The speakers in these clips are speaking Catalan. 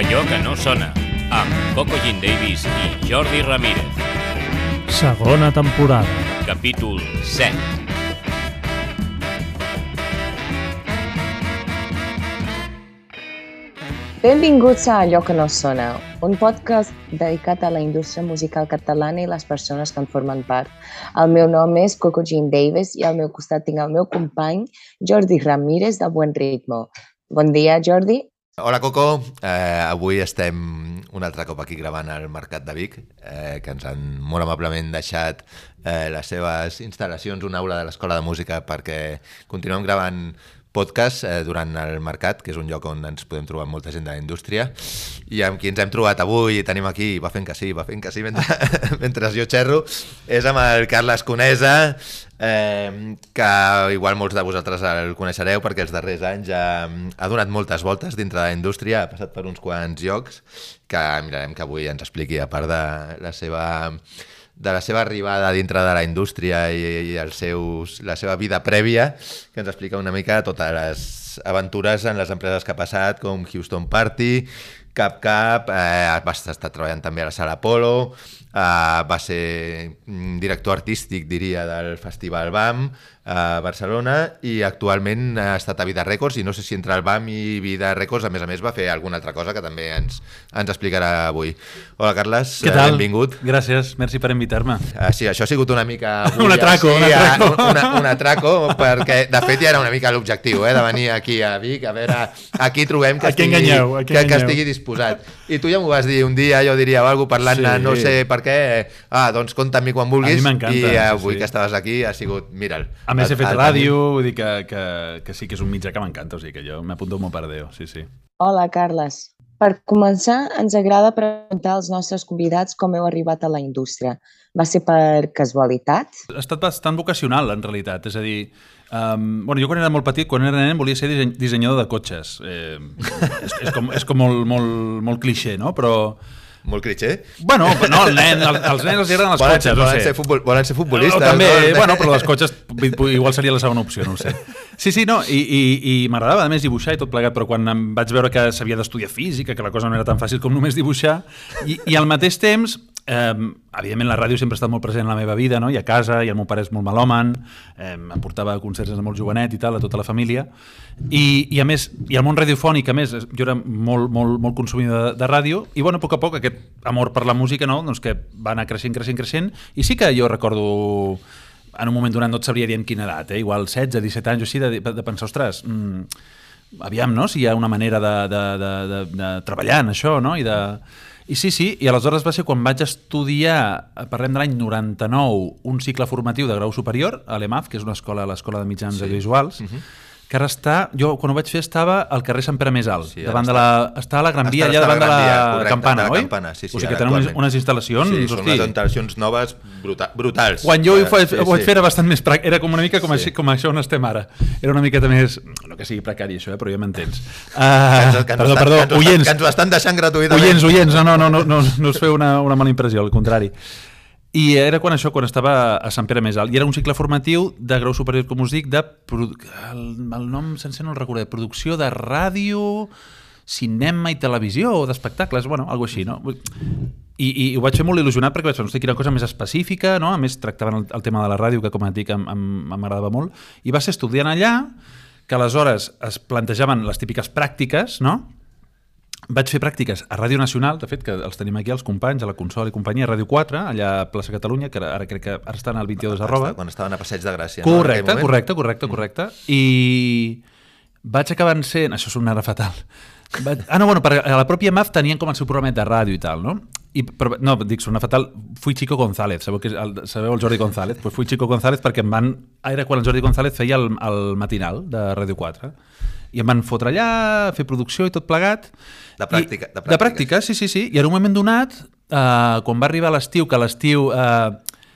Allò que no sona, amb Coco Jean Davis i Jordi Ramírez. Segona temporada. Capítol 7. Benvinguts a Allò que no sona, un podcast dedicat a la indústria musical catalana i les persones que en formen part. El meu nom és Coco Jean Davis i al meu costat tinc el meu company Jordi Ramírez de Buen Ritmo. Bon dia, Jordi. Hola, Coco. Avui estem un altre cop aquí gravant al Mercat de Vic, que ens han molt amablement deixat les seves instal·lacions, una aula de l'Escola de Música, perquè continuem gravant podcast durant el mercat, que és un lloc on ens podem trobar molta gent de la indústria, i amb qui ens hem trobat avui i tenim aquí, va fent que sí mentre jo xerro, és amb el Carles Conesa, que igual molts de vosaltres el coneixereu perquè els darrers anys ha donat moltes voltes dintre de la indústria, ha passat per uns quants llocs, que mirarem que avui ens expliqui, a part de la seva arribada dintre de la indústria i la seva vida prèvia, que ens explica una mica totes les aventures en les empreses que ha passat, com Houston Party, Cap, va estar treballant també a la Sala Apolo, va ser director artístic, diria, del Festival BAM a Barcelona, i actualment ha estat a Vida Records, i no sé si entre el BAM i Vida Records a més va fer alguna altra cosa que també ens explicarà avui. Hola, Carles, què tal? Benvingut. Gràcies, merci per invitar-me. Sí, això ha sigut una mica... Un atraco. Un atraco, perquè de fet ja era una mica l'objectiu, de venir aquí a Vic, a veure, aquí trobem que estigui disposat. I tu ja m'ho vas dir un dia, jo diria, o alguna parlant-ne, no sé per què, doncs compta amb mi quan vulguis, i avui que estaves aquí ha sigut, mira'l. A més he fet ràdio, vull dir que sí que és un mitjà que m'encanta, o sigui que jo m'apunto molt perdeu, sí. Hola, Carles. Per començar, ens agrada preguntar als nostres convidats com heu arribat a la indústria. Va ser per casualitat? Ha estat bastant vocacional, en realitat, és a dir, jo quan era molt petit, quan era nen, volia ser dissenyador de cotxes. És com molt clixé, no? Però... Molt cliché? Bueno, no, els nens els agraden les cotxes. Volen ser futbolistes. També, però les cotxes igual seria la segona opció, no ho sé. Sí, no, i m'agradava a més dibuixar i tot plegat, però quan em vaig veure que s'havia d'estudiar física, que la cosa no era tan fàcil com només dibuixar, i al mateix temps, evidentment la ràdio sempre ha estat molt present en la meva vida, no? I a casa, i el meu pare és molt melòman, em portava a concerts de molt jovenet i tal, a tota la família, i a més, i el món radiofònic, a més, jo era molt consumidor de ràdio, i a poc a poc aquest amor per la música, no? Doncs que va anar creixent, i sí que jo recordo, en un moment donat no et sabria dir en quina edat, igual 16, 17 anys o així, de pensar, ostres, aviam, no? Si hi ha una manera de treballar en això, no? I sí, i aleshores va ser quan vaig estudiar, parlem de l'any 99, un cicle formatiu de grau superior a l'EMAF, que és una escola, l'Escola de Mitjans Audiovisuals, que ara està, jo quan ho vaig fer estava al carrer Sant Pere Més Alt, està a la Gran Via, allà davant de la Campana, oi? Sí, o sigui que tenen unes instal·lacions... Sí, són unes instal·lacions noves brutals. Quan jo ho vaig fer era bastant més pràctic, era com una mica com això on estem ara. Era una miqueta més... No que sigui precari això, però ja m'entens. Perdó, oients. Que ens ho estan deixant gratuïtament. Oients, no us feu una mala impressió, al contrari. I era quan estava a Sant Pere Més Alt, i era un cicle formatiu de grau superior, com us dic, el nom sencer no el recordo, de producció de ràdio, cinema i televisió, o d'espectacles, alguna així, no? I ho vaig fer molt il·lusionat perquè vaig pensar, quina cosa més específica, no? A més tractaven el tema de la ràdio, que com et dic m'agradava molt, i va ser estudiant allà, que aleshores es plantejaven les típiques pràctiques, no? Vaig fer pràctiques a Ràdio Nacional, de fet, que els tenim aquí els companys, a la Consol i companyia, a Ràdio 4, allà a Plaça Catalunya, que ara crec que ara estan al 22 @ Quan estaven a Passeig de Gràcia. Correcte. I vaig acabar sent... Això sonarà fatal. Perquè a la pròpia MAF tenien com el seu programa de ràdio i tal, no? Sona fatal, fui Chico González, sabeu el Jordi González? Pues fui Chico González perquè era quan el Jordi González feia el matinal de Ràdio 4, i em van fotre allà, fer producció i tot plegat. De pràctica, sí. I en un moment donat, quan va arribar l'estiu, que l'estiu,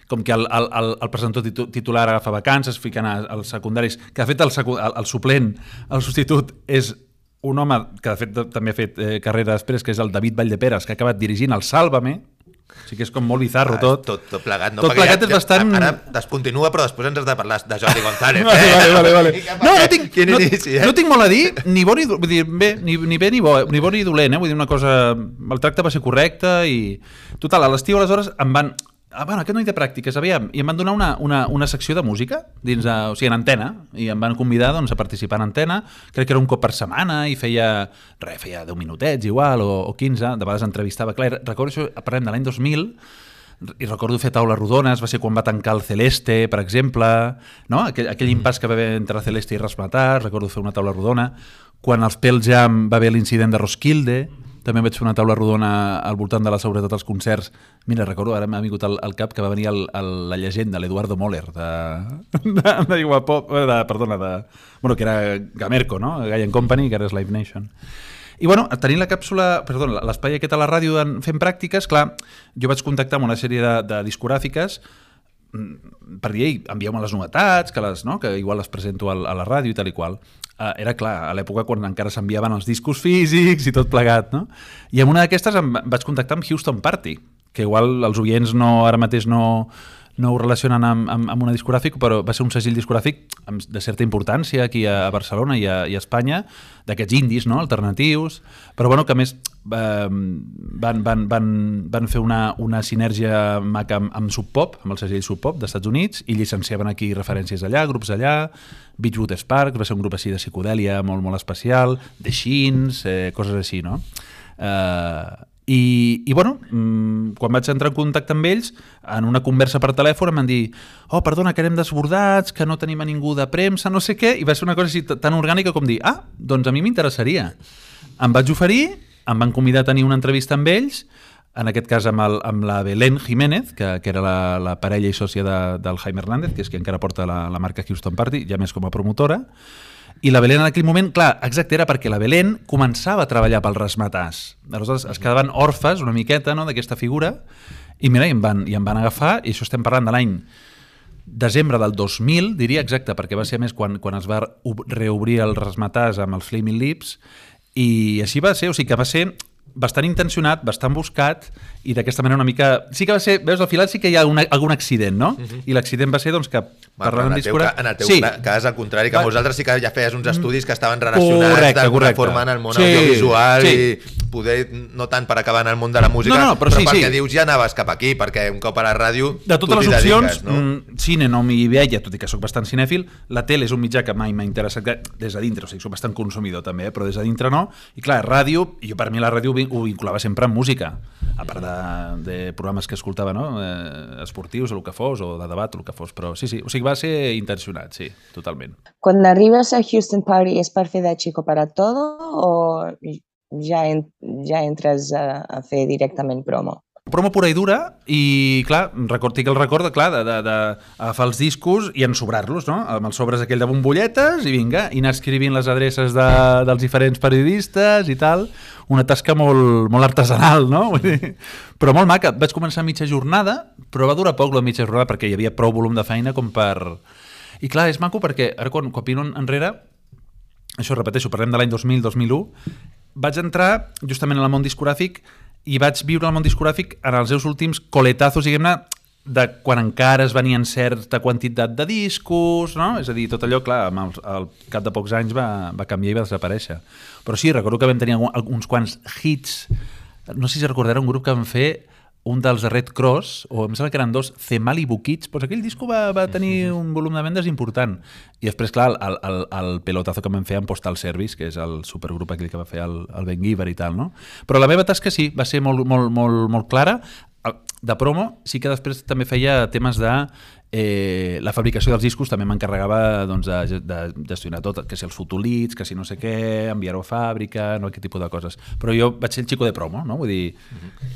com que el presentador titular agafa vacances, fiquen als secundaris, que de fet el suplent, el substitut, és un home que de fet també ha fet carrera després, que és el David Valldeperes, que ha acabat dirigint el Sálvame, O sigui que és com molt bizarro tot. Tot plegat, no? Tot plegat és bastant... Ara descontinua, però després ens has de parlar de Jordi González. Vale. No tinc molt a dir, ni bo ni dolent, vull dir, ni bé ni bo ni dolent, vull dir, una cosa... El tracte va ser correcte i... Total, a l'estiu, aleshores, em van... Aquest nit de pràctiques, aviam, i em van donar una secció de música, o sigui, en Antena, i em van convidar doncs, a participar en Antena, crec que era un cop per setmana, i feia 10 minutets igual, o 15, de vegades entrevistava, clar, recordo això, parlem de l'any 2000, i recordo fer taules rodones, va ser quan va tancar el Celeste, per exemple, no? Aquell impàs que va haver entre Celeste i Razzmatazz, recordo fer una taula rodona, quan als Pearl Jam va haver l'incident de Roskilde, també vaig fer una taula rodona al voltant de la seguretat als concerts. Mira, recordo, ara m'ha vingut al cap que va venir la llegenda, l'Eduardo Moller, que era Gamerco, no? Guy & Company, que ara és Live Nation. I bueno, tenint l'espai aquest a la ràdio fent pràctiques, clar, jo vaig contactar amb una sèrie de discogràfiques per dir, ei, envieu-me les novetats, que igual les presento a la ràdio i tal i qual. Era clar, a l'època quan encara s'enviaven els discos físics i tot plegat, no? I en una d'aquestes vaig contactar amb Houston Party, que igual els oients ara mateix no ho relacionen amb una discogràfica, però va ser un segell discogràfic de certa importància aquí a Barcelona i a Espanya, d'aquests indis, no? Alternatius, però bueno, que a més van fer una sinergia maca amb Sub Pop, amb el segell Sub Pop d'Estats Units, i llicenciaven aquí referències allà, grups allà, Beachwood Sparks, va ser un grup així de psicodèlia molt, molt especial, The Sheens, coses així, no? I bueno, quan vaig entrar en contacte amb ells, en una conversa per telèfon em van dir perdona, que anem desbordats, que no tenim a ningú de premsa, no sé què, i va ser una cosa així tan orgànica com dir, doncs a mi m'interessaria. Em vaig oferir, em van convidar a tenir una entrevista amb ells, en aquest cas amb la Belén Jiménez, que era la parella i sòcia del Jaime Hernández, que és qui encara porta la marca Houston Party, ja més com a promotora. I la Belén en aquell moment, clar, exacte, era perquè la Belén començava a treballar pel Razzmatazz. Aleshores es quedaven orfes una miqueta, no?, d'aquesta figura, i mira, i em van agafar, i això estem parlant de l'any desembre del 2000, diria exacte, perquè va ser més quan es va reobrir el Razzmatazz amb els Flaming Lips, i així va ser, o sigui que va ser bastant intencionat, bastant buscat, i d'aquesta manera una mica... Sí que va ser, veus, al final sí que hi ha algun accident, no? I l'accident va ser, doncs, que parlant amb discogràfic... En el teu cas, al contrari, que molts altres sí que ja feies uns estudis que estaven relacionats d'alguna forma en el món audiovisual i poder, no tant per acabar en el món de la música, però perquè dius ja anaves cap aquí, perquè un cop a la ràdio de totes les opcions, cine no m'hi veia, tot i que soc bastant cinèfil, la tele és un mitjà que mai m'ha interessat des de dintre, o sigui, soc bastant consumidor també, però des de dintre no, i clar, ràdio, i jo per mi la ràdio ho vinculava sempre amb música, a part de programes que escoltava, no? Esportius o el que fos, o de debat o el que fos, però sí, o sigui, va ser intencionat, sí, totalment. Quan arribes a Houston Party és per fer de chico para todo o ja entres a fer directament promo? Promo pura i dura, i clar, tinc el record d'agafar els discos i ensobrar-los, no? Amb els sobres aquell de bombolletes, i vinga, i anar escrivint les adreces dels diferents periodistes i tal. Una tasca molt, molt artesanal, no? Vull dir, però molt maca. Vaig començar a mitja jornada, però va durar poc la mitja jornada perquè hi havia prou volum de feina com per... I clar, és maco perquè ara quan miro enrere, això repeteixo, parlem de l'any 2000-2001, vaig entrar justament en el món discogràfic i vaig viure el món discogràfic en els seus últims coletazos, diguem-ne, de quan encara es venien certa quantitat de discos, no? És a dir, tot allò, clar, al cap de pocs anys va canviar i va desaparèixer. Però sí, recordo que vam tenir uns quants hits, no sé si recordarà un grup que vam fer, un dels de Red Cross, o em sembla que eren dos, Zemali Kids, doncs aquell disco va tenir un volum de vendes important. I després, clar, el pelotazo que vam fer amb Postal Service, que és el supergrup aquell que va fer el Ben Giver i tal, no? Però la meva tasca sí, va ser molt clara. De promo, sí que després també feia temes de la fabricació dels discos, també m'encarregava de gestionar tot, que si els fotolits, que si no sé què, enviar-ho a fàbrica, no, aquest tipus de coses. Però jo vaig ser el xico de promo, no? Vull dir,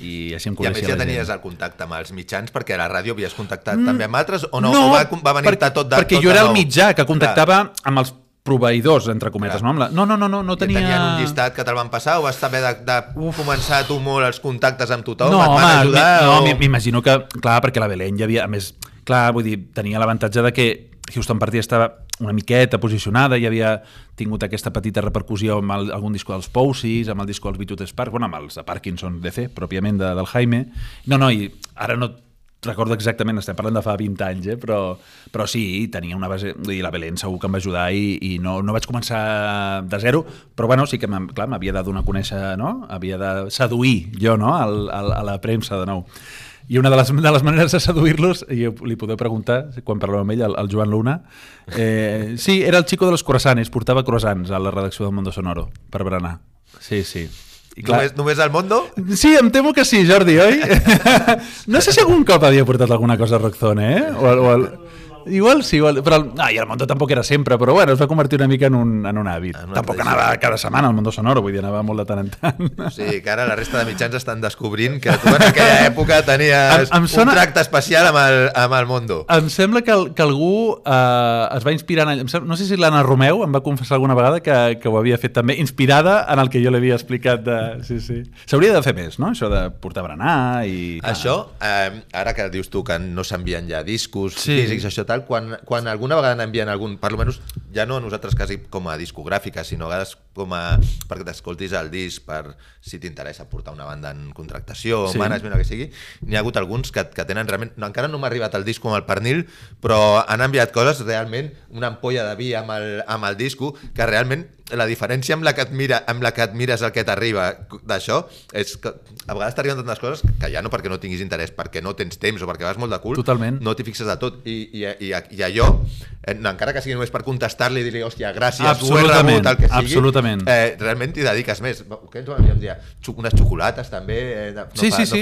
i així em coneixia. I a més ja tenies el contacte amb els mitjans, perquè a la ràdio havies contactat també amb altres, o no? O va venir-te tot de nou? Perquè jo era el mitjà que contactava amb els proveïdors, entre cometes, no? No tenia... Tenien un llistat que te'l van passar o vas haver de començar tu molt els contactes amb tothom? No, home, m'imagino que, clar, perquè la Belén ja havia, a més, clar, vull dir, tenia l'avantatge de que Houston Party estava una miqueta posicionada, ja havia tingut aquesta petita repercussió amb algun disco dels Pousis, amb el disco dels Beatles Sparks, bueno, amb els de Parkinson DC, pròpiament del Jaime. No, i ara no recordo exactament, estem parlant de fa 20 anys, però sí, tenia una base, i la Belén segur que em va ajudar i no vaig començar de zero, però bueno, sí que m'havia de donar a conèixer, no? Havia de seduir jo, no? A la premsa de nou. I una de les maneres de seduir-los, i li podeu preguntar, quan parleu amb ell, el Joan Luna, sí, era el chico de los croissants, portava croissants a la redacció del Mundo Sonoro per berenar. Sí. I clar, només al Mundo? Sí, em temo que sí, Jordi, oi? No sé si algun cop havia portat alguna cosa a Rockzone, Igual sí, però i el Mundo tampoc era sempre, però bueno, es va convertir una mica en un hàbit. Tampoc anava cada setmana al Mundo Sonoro, vull dir, anava molt de tant en tant. Sí, que ara la resta de mitjans estan descobrint que tu en aquella època tenies un tracte especial amb el Mundo. Em sembla que algú es va inspirar no sé si l'Anna Romeu em va confessar alguna vegada que ho havia fet també, inspirada en el que jo l'havia explicat. Sí. S'hauria de fer més, no? Això de portar berenar i... Això, ara que dius tu que no s'envien ja discos físics, això tal, quan alguna vegada n'envien algun, per almenys ja no a nosaltres quasi com a discogràfica, sinó a vegades com a perquè t'escoltis el disc per si t'interessa portar una banda en contractació, management o que sigui, n'hi ha hagut alguns que tenen realment, encara no m'ha arribat el disco amb el pernil, però han enviat coses realment, una ampolla de vi amb el disco, que realment la diferència amb la que et mires el que t'arriba d'això és que a vegades t'arriben tantes coses que ja no perquè no tinguis interès, perquè no tens temps o perquè vas molt de cul, totalment. No t'hi fixes de tot i allò, encara que sigui només per contestar-li i dir-li, hòstia, gràcies, ho he rebut, el que sigui, absolutament. Realment t'hi dediques més. Què ens ho enviem dir? Unes xocolates també, no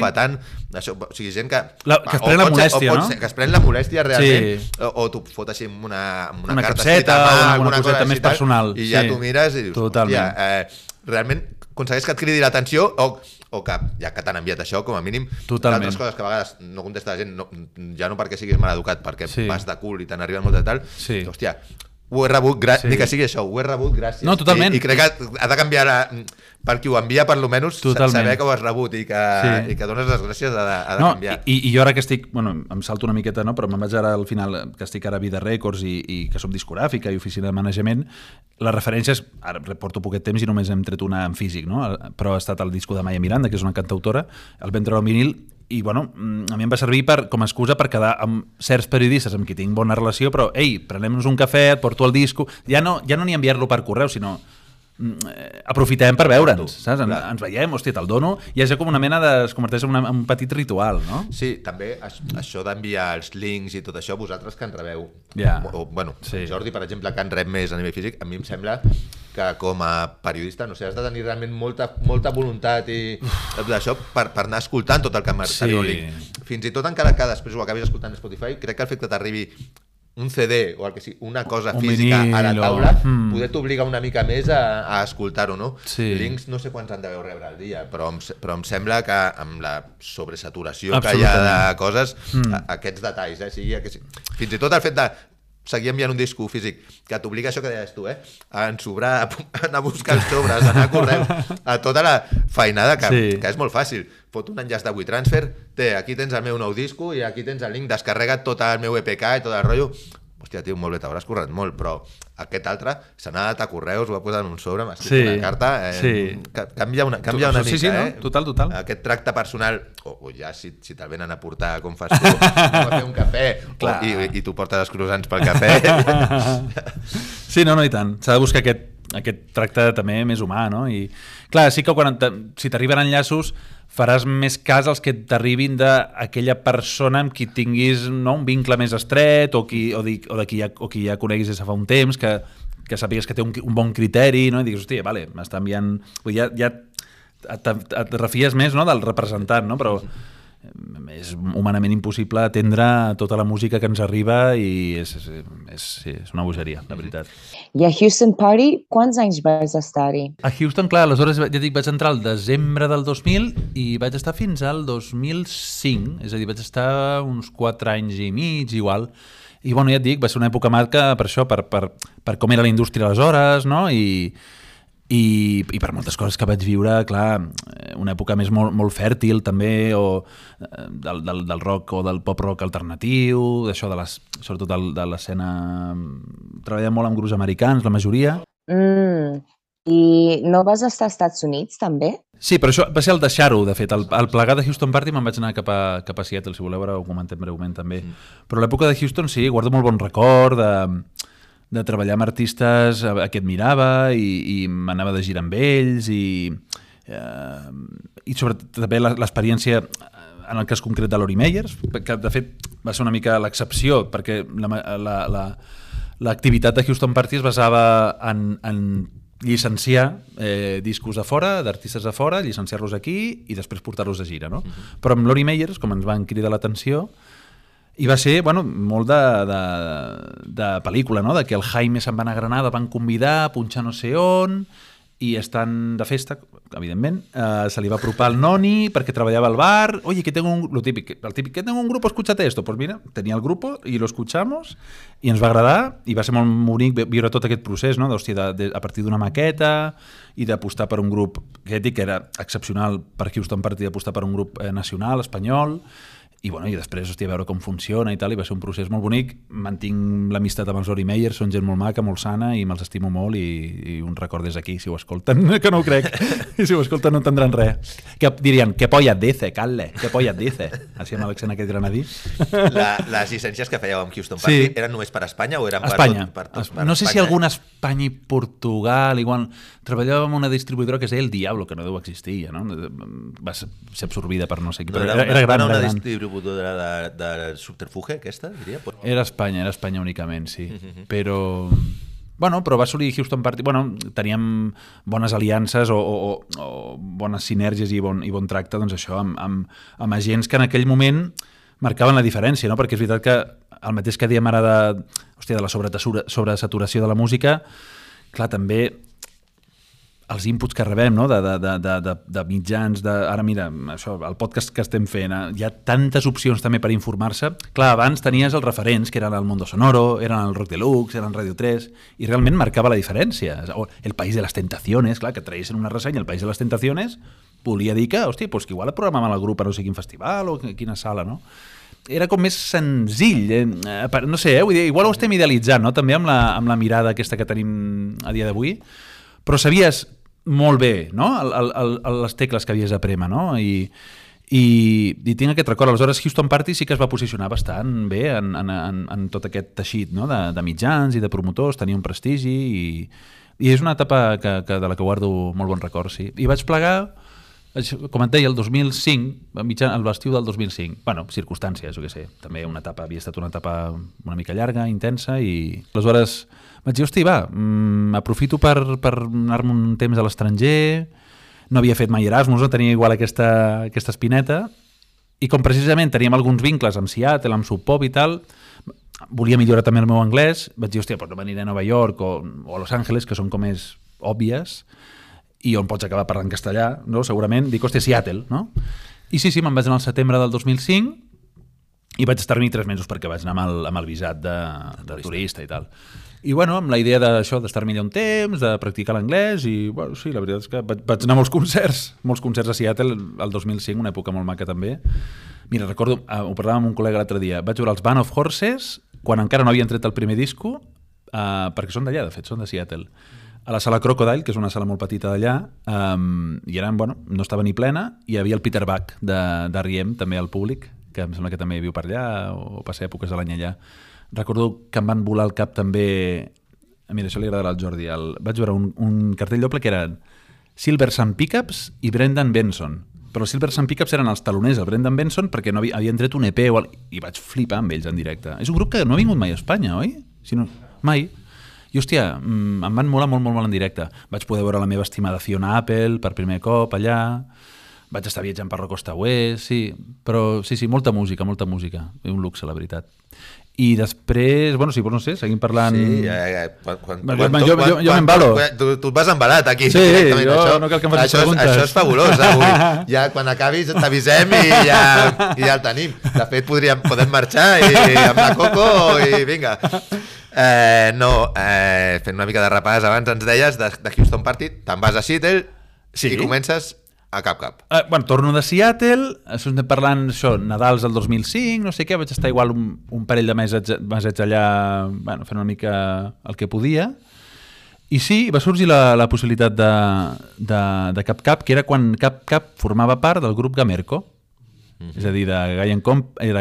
fa tant, això, o sigui, gent que es pren la molèstia, no? Que es pren la molèstia realment, o t'ho fot així amb una capseta o alguna coseta més personal i ja t'ho mires i dius, hòstia, realment aconsegueix que et cridi l'atenció o que ja que t'han enviat això, com a mínim, altres coses que a vegades no contesta la gent, ja no perquè siguis mal educat, perquè vas de cul i te n'arriben molt de tal, hòstia, ho he rebut, ni que sigui això, ho he rebut, gràcies. No, totalment. I crec que ha de canviar per qui ho envia, per almenys saber que ho has rebut i que dones les gràcies ha de canviar. I jo ara que estic, bueno, em salto una miqueta, no? Però me'n vaig ara al final, que estic ara a Vida Records i que som discogràfica i oficina de manejament, les referències, ara porto poquet temps i només hem tret una en físic, no? Però ha estat el disco de Maya Miranda, que és una cantautora, el vam treure al vinil, i bueno, a mi em va servir com a excusa per quedar amb certs periodistes amb qui tinc bona relació, però ei, prenem-nos un cafè, et porto el disco, ja no ni enviar-lo per correu, sinó aprofitem per veure'ns, saps? Ens veiem, hòstia, te'l dono, i és com una mena es converteix en un petit ritual, no? Sí, també això d'enviar els links i tot això, vosaltres que en rebeu, Jordi, per exemple, que en rep més a nivell físic, a mi em sembla que com a periodista, no sé, has de tenir realment molta voluntat i d'això per anar escoltant tot el que m'arriba el link. Fins i tot encara que després ho acabis escoltant a Spotify, crec que el fet que t'arribi un CD o el que sigui, una cosa física a la taula, poder t'obligar una mica més a escoltar-ho, no? Links no sé quants han de rebre al dia, però em sembla que amb la sobresaturació que hi ha de coses, aquests detalls, fins i tot el fet de seguir enviant un disco físic que t'obliga això que deies tu, a ensobrar, a anar a buscar els sobres, a anar a correu, a tota la feinada que és molt fàcil. Fot un enllaç de WeTransfer, aquí tens el meu nou disco i aquí tens el link, descarrega't tot el meu EPK i tot el rotllo. Hòstia, tio, molt bé, t'hauràs currat molt, però aquest altre se n'ha anat a correus, ho va posar en un sobre, m'ha escrit una carta, canvia una mica, no? Total. Aquest tracte personal, o ja si te'l venen a portar, com fas tu, a fer un cafè, i tu portes els croissants pel cafè. Sí, no, i tant. S'ha de buscar aquest tracte també més humà, no? I clar, sí que si t'arriben enllaços faràs més cas als que t'arribin d'aquella persona amb qui tinguis un vincle més estret o de qui ja coneguis des de fa un temps, que sàpigues que té un bon criteri, no? I digues, hòstia, vale, m'està enviant... Ja et refies més, no, del representant, no? Però és humanament impossible atendre tota la música que ens arriba i és una bogeria, la veritat. I a Houston Party, quants anys vas estar-hi? A Houston, clar, aleshores ja dic, vaig entrar al desembre del 2000 i vaig estar fins al 2005, és a dir, vaig estar uns 4 anys i mig, igual. I bueno, ja et dic, va ser una època marca per això, per com era la indústria aleshores, no? I per moltes coses que vaig viure, clar, una època més molt fèrtil també, o del rock o del pop-rock alternatiu, d'això sobretot de l'escena treballem molt amb grups americans, la majoria. I no vas estar als Estats Units, també? Sí, però això va ser el deixar-ho, de fet. Al plegar de Houston Party me'n vaig anar cap a Seattle, si voleu veure, ho comentem breument també. Però l'època de Houston, sí, guardo molt bon record de treballar amb artistes a qui admirava i m'anava de gira amb ells i sobretot també l'experiència en el cas concret de Lori Meyers, que de fet va ser una mica l'excepció, perquè l'activitat de Houston Party es basava en llicenciar discos de fora, d'artistes de fora, llicenciar-los aquí i després portar-los de gira, no? Però amb Lori Meyers, com ens van cridar l'atenció, i va ser, bueno, molt de pel·lícula, no? De que el Jaime se'n va anar a Granada, van convidar a punxar no sé on, i estant de festa, evidentment, se li va apropar el noni perquè treballava al bar. Oye, que tengo el típic, que tengo un grupo, escúchate esto. Pues mira, tenia el grupo i lo escuchamos i ens va agradar i va ser molt bonic viure tot aquest procés, no? A partir d'una maqueta i d'apostar per un grup que era excepcional per Houston Party, d'apostar per un grup nacional, espanyol, i després, hòstia, veure com funciona i tal, i va ser un procés molt bonic. Mantinc l'amistat amb els Lori Meyers, són gent molt maca, molt sana, i me'ls estimo molt, i un record des d'aquí, si ho escolten, que no ho crec, i si ho escolten no entendran res. Que dirien, ¿qué polla dice, Calle? ¿Qué polla dice? Així amb l'accent aquest granadí. Les llicències que fèieu amb Houston Party eren només per Espanya o eren per Espanya. Per no sé si alguna Espanya i Portugal, igual. Treballàvem amb una distribuïdora que es deia El Diablo, que no deu existir, ja, no? Va ser absorbida per no sé qui, però era gran. Una distribuïdora de subterfuge, aquesta, diria? Era Espanya únicament, sí. Però va assolir Houston Party. Teníem bones aliances o bones sinergies i bon tracte, doncs això, amb agents que en aquell moment marcaven la diferència, no? Perquè és veritat que el mateix que diem ara de la sobresaturació de la música, clar, també els inputs que rebem, no? de mitjans, ara mira, això, el podcast que estem fent, hi ha tantes opcions també per informar-se. Clar, abans tenies els referents, que eren el Mundo Sonoro, eren el Rock Deluxe, eren Radio 3, i realment marcava la diferència. O El País de las Tentaciones, clar, que traïssin una ressenya, El País de las Tentaciones, volia dir que, hòstia, pues que igual el programaven el grup a no sé quin festival o quina sala, no? Era com més senzill, no sé, vull dir, igual ho estem idealitzant, no? També amb la mirada aquesta que tenim a dia d'avui, però sabies molt bé, no? Les tecles que havies de prémer, no? I tinc aquest record. Aleshores, Houston Party sí que es va posicionar bastant bé en tot aquest teixit, no? De mitjans i de promotors, tenia un prestigi i és una etapa de la que guardo molt bon record, sí. I vaig plegar, com et deia, el 2005, al l'estiu del 2005. Circumstàncies, jo què sé. També havia estat una etapa una mica llarga, intensa, i aleshores vaig dir, hosti, aprofito per anar-me un temps a l'estranger, no havia fet mai Erasmus, no tenia igual aquesta espineta, i com precisament teníem alguns vincles amb Seattle, amb Sub Pop i tal, volia millorar també el meu anglès, vaig dir, hòstia, no m'aniré a Nova York o a Los Angeles, que són com més òbvies, i on pots acabar parlant castellà, no? Segurament, dic, hòstia, Seattle, no? I sí, me'n vaig anar al setembre del 2005 i vaig estar-hi 3 mesos perquè vaig anar amb el visat de turista i tal. I amb la idea d'això, d'estar-me allà un temps, de practicar l'anglès, i sí, la veritat és que vaig anar a molts concerts a Seattle el 2005, una època molt maca també. Mira, recordo, ho parlàvem amb un col·lega l'altre dia, vaig veure els Band of Horses quan encara no havien tret el primer disco, perquè són d'allà, de fet, són de Seattle, a la sala Crocodile, que és una sala molt petita d'allà, i eren, no estava ni plena, i hi havia el Peter Buck d'R.E.M. també al públic, que em sembla que també viu per allà, o passa èpoques de l'any allà. Recordo que em van volar al cap també... Mira, això li agradarà al Jordi. Vaig veure un cartell doble que eren Silver Sun Pickups i Brendan Benson. Però els Silver Sun Pickups eren els taloners, el Brendan Benson, perquè no havien tret un EP i vaig flipar amb ells en directe. És un grup que no ha vingut mai a Espanya, oi? Mai. I, hòstia, em van molar molt, molt, molt en directe. Vaig poder veure la meva estimada Fiona Apple per primer cop allà. Vaig estar viatjant per la costa oest, sí. Però sí, molta música. Un luxe, la veritat. I després, sí, no sé, seguim parlant... Sí, jo m'embalo. Tu et vas embalat aquí. Sí, jo no cal que em facis preguntes. Això és fabulós, avui. Ja quan acabis t'avisem i ja el tenim. De fet, podem marxar amb la Coco i vinga. Fent una mica de repàs, abans ens deies de Houston Party, te'n vas a Seattle i comences A Cap. Bueno, torno de Seattle, estem parlant això, Nadals del 2005, no sé què, vaig estar igual un parell de mesets allà, bueno, fent una mica el que podia. I sí, va sorgir la possibilitat de Cap, que era quan Cap formava part del grup Gamerco. És a dir, de Gaia Company,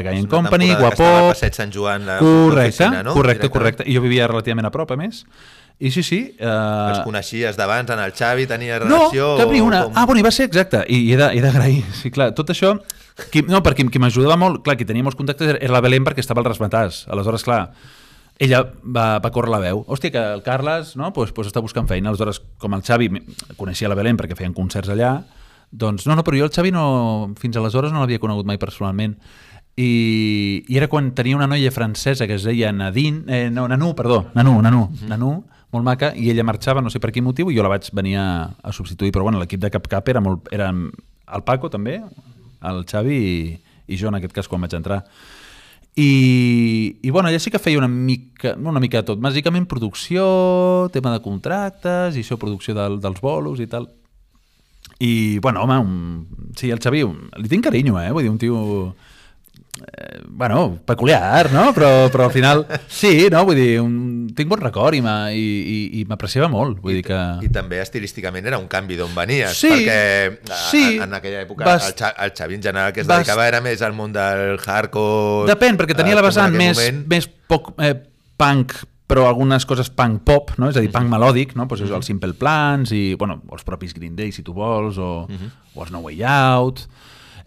Guapop... Que estava a Passeig Sant Joan, correcte, no? Correcte. I jo vivia relativament a prop, a més. I sí... Els coneixies d'abans, en el Xavi, tenia relació... No, cap ni una. Bueno, i va ser exacte. I he d'agrair. Sí, clar, tot això... perquè qui m'ajudava molt... Clar, qui tenia molts contactes era la Belén perquè estava al Rasmatàs. Aleshores, clar, ella va córrer la veu. Hòstia, que el Carles pues està buscant feina. Aleshores, com el Xavi coneixia la Belén perquè feien concerts allà, doncs no, però jo el Xavi fins aleshores no l'havia conegut mai personalment. I era quan tenia una noia francesa que es deia Nanú, molt maca, i ella marxava, no sé per quin motiu, i jo la vaig venir a substituir, però bueno, l'equip de Cap era el Paco també, el Xavi i jo en aquest cas quan vaig entrar. I bueno, ella sí que feia una mica de tot, bàsicament producció, tema de contractes, i això, producció dels bolos i tal. I bueno, home, sí, el Xavi li tinc carinyo, vull dir, un tio... bueno, peculiar, no? Però al final sí, no? Vull dir, tinc bon record i m'apreciava molt, vull dir que... I també estilísticament era un canvi d'on venies, sí, perquè en aquella època el Xavi en general que es dedicava era més al món del hardcore... Depèn, perquè tenia la vessant més poc punk, però algunes coses punk pop, no? És a dir, punk melòdic, no? Pues això, els Simple Plans i, bueno, els propis Green Day, si tu vols, o els No Way Out...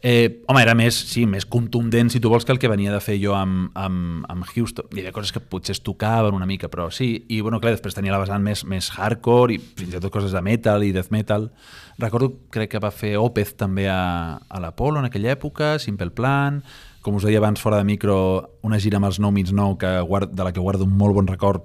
home, era més contundent, si tu vols, que el que venia de fer jo amb Houston. Hi havia coses que potser es tocaven una mica, però sí. I, bueno, clar, després tenia la vessant més hardcore i fins i tot coses de metal i death metal. Recordo, crec que va fer Opeth també a l'Apollo en aquella època, Simple Plan, com us deia abans fora de micro, una gira amb els No Means No de la que guardo un molt bon record,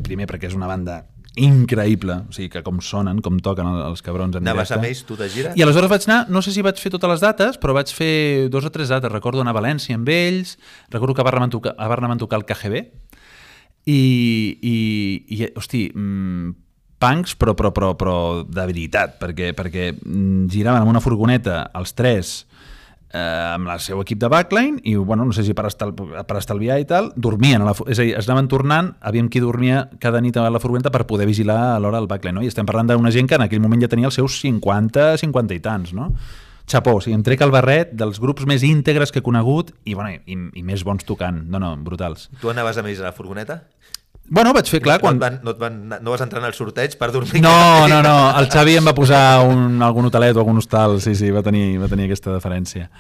primer perquè és una banda increïble, o sigui, que com sonen, com toquen els cabrons en directe. Anaves amb ells, tu de gira? I aleshores vaig anar, no sé si vaig fer totes les dates, però vaig fer 2 o 3 dates. Recordo anar a València amb ells, recordo que a Barna van tocar el KGB, i hosti, punks, però de veritat, perquè giraven amb una furgoneta, els 3, amb el seu equip de backline i, bueno, no sé si per estalviar i tal, dormien, és a dir, es anaven tornant, havíem qui dormia cada nit a la furgoneta per poder vigilar a l'hora del backline, no? I estem parlant d'una gent que en aquell moment ja tenia els seus 50 i tants, no? Xapó, o sigui, em trec el barret dels grups més íntegres que he conegut i més bons tocant, no, brutals. Tu anaves amb ells a la furgoneta? Bueno, vaig fer, clar... No vas entrar en el sorteig per dormir? No, el Xavi em va posar algun hotelet o algun hostal, sí, va tenir aquesta deferència.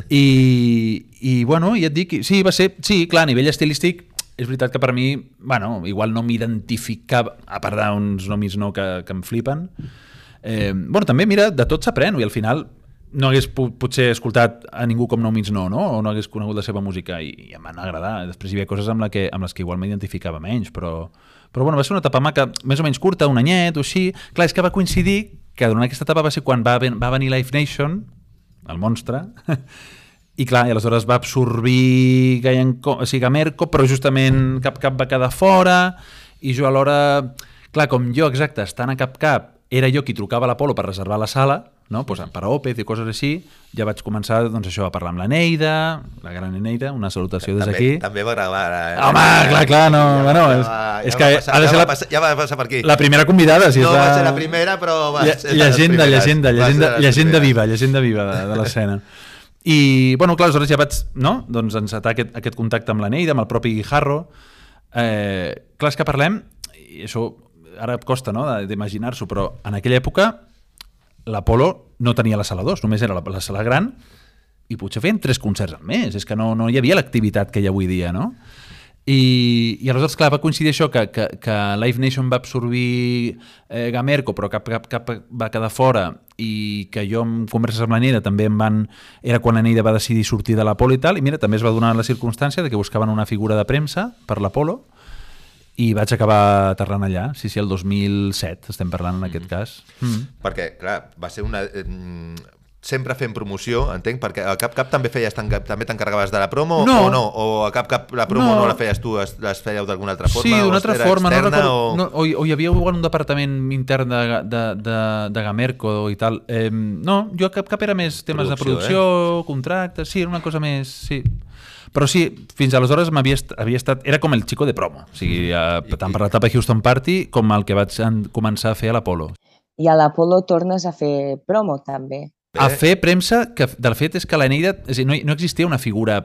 I bueno, ja et dic, sí, va ser... Sí, clar, a nivell estilístic, és veritat que per mi, bueno, igual no m'identificava, a part d'uns nomis no que em flipen. Bueno, també, mira, de tot s'aprèn, i al final no hagués potser escoltat a ningú com No Means No, o no hagués conegut la seva música i em van agradar. Després hi havia coses amb les que igual m'identificava menys, però bueno, va ser una etapa maca, més o menys curta, un anyet o així. Clar, és que va coincidir que durant aquesta etapa va ser quan va venir Live Nation, el monstre, i clar, i aleshores va absorbir Gamerco, però justament Cap va quedar fora, i jo alhora, clar, com jo, exacte, estant a Cap, era jo qui trucava a l'Apollo per reservar la sala, no? Pues per a Opeth i coses així, ja vaig començar, doncs, això, a parlar amb la Neida, la gran Neida, una salutació des d'aquí. També va gravar. Home, clar, no, bueno, és que ha de ser ja va passar per aquí. La primera convidada. No va ser la primera, però va ser llegenda viva de l'escena. I, bueno, clar, aleshores ja vaig, no?, doncs encetar aquest contacte amb la Neida, amb el propi Guijarro. Clar, és que parlem, i això ara em costa, no?, d'imaginar-s'ho, però en aquella època l'Apollo no tenia la sala 2, només era la sala gran, i potser feien 3 concerts al mes, és que no hi havia l'activitat que hi ha avui dia, no? I aleshores, clar, va coincidir això, que Live Nation va absorbir Gamerco, però Cap va quedar fora, i que jo en converses amb la Neida també era quan la Neida va decidir sortir de l'Apollo i tal, i mira, també es va donar la circumstància de que buscaven una figura de premsa per l'Apollo, i vaig acabar aterrant allà, sí, el 2007 estem parlant en aquest cas. Perquè, clar, va ser una... sempre fent promoció, entenc, perquè a Cap també també t'encarregaves de la promo o no? O a Cap la promo no la feies tu, les fèieu d'alguna altra forma? Sí, d'una altra forma, no recordo, o hi havia un departament intern de Gamerco i tal. No, jo a Cap era més temes de producció, contractes, sí, era una cosa més... Sí. Però sí, fins aleshores havia estat... Era com el xico de promo, o sigui, tant per l'etapa Houston Party com el que vaig començar a fer a l'Apolo. I a l'Apolo tornes a fer promo, també. A fer premsa, que del fet és que l'Eneida... És a dir, no existia una figura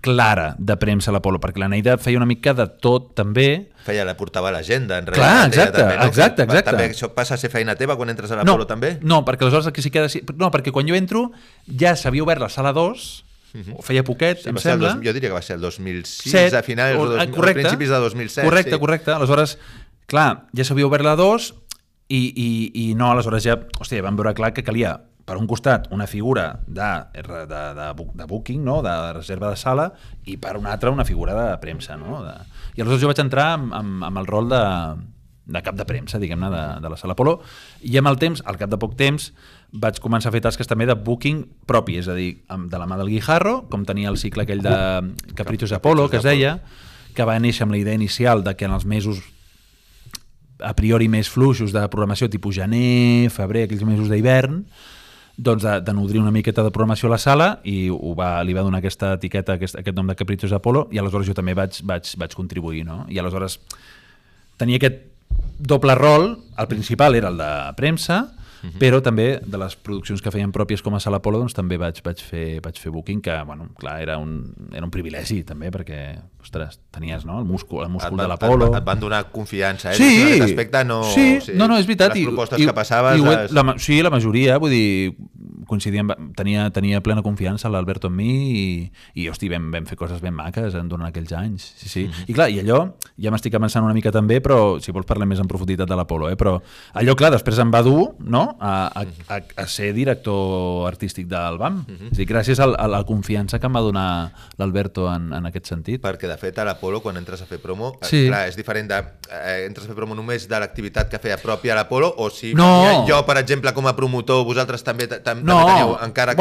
clara de premsa a l'Apolo, perquè l'Eneida feia una mica de tot, també. La portava a l'agenda, en realitat. Clar, exacte, també, no? Exacte. També això passa a ser feina teva quan entres a l'Apolo, també? No, perquè aleshores aquí sí que... No, perquè quan jo entro ja s'havia obert la sala 2, ho feia poquet, em sembla. Jo diria que va ser el 2006, a finals, a principis de 2007. Correcte. Aleshores, clar, ja s'havia obert la 2 i no, aleshores ja, hòstia, vam veure clar que calia per un costat una figura de booking, no? De reserva de sala, i per un altre una figura de premsa. No? I aleshores jo vaig entrar amb el rol de cap de premsa, diguem-ne, de la sala Apolo, i amb el temps, al cap de poc temps, vaig començar a fer tasques també de booking propi, és a dir, de la mà del Guijarro, com tenia el cicle aquell de Caprichos Apolo, que es deia, que va néixer amb la idea inicial de que en els mesos a priori més fluixos de programació tipus gener, febrer, aquells mesos d'hivern, doncs de nodrir una miqueta de programació a la sala, i li va donar aquesta etiqueta, aquest nom de Caprichos Apolo, i aleshores jo també vaig contribuir, no? I aleshores tenia aquest doble rol. El principal era el de premsa, però també de les produccions que feien pròpies com a Sala Apolo, doncs també vaig fer booking, que, bueno, clar, era un privilegi també, perquè, ostres, tenies, no, el múscul de l'Apolo. Et van donar confiança, Sí, en aquest aspecte no... Sí, no, és veritat. Les propostes que passaves... Sí, la majoria, vull dir, coincidíem, tenia plena confiança l'Alberto en mi, i hosti, vam fer coses ben maques durant aquells anys. Sí. I clar, i allò, ja m'estic avançant una mica també, però si vols parlem més en profunditat de l'Apolo, però allò, clar, després em va dur, no?, a ser director artístic del BAM. És a dir, gràcies a la confiança que em va donar l'Alberto en aquest sentit. Perquè, de fet, a l'Apolo, quan entres a fer promo, clar, és diferent entres a fer promo només de l'activitat que feia pròpia a l'Apolo, o si jo, per exemple, com a promotor, vosaltres també teníeu, encara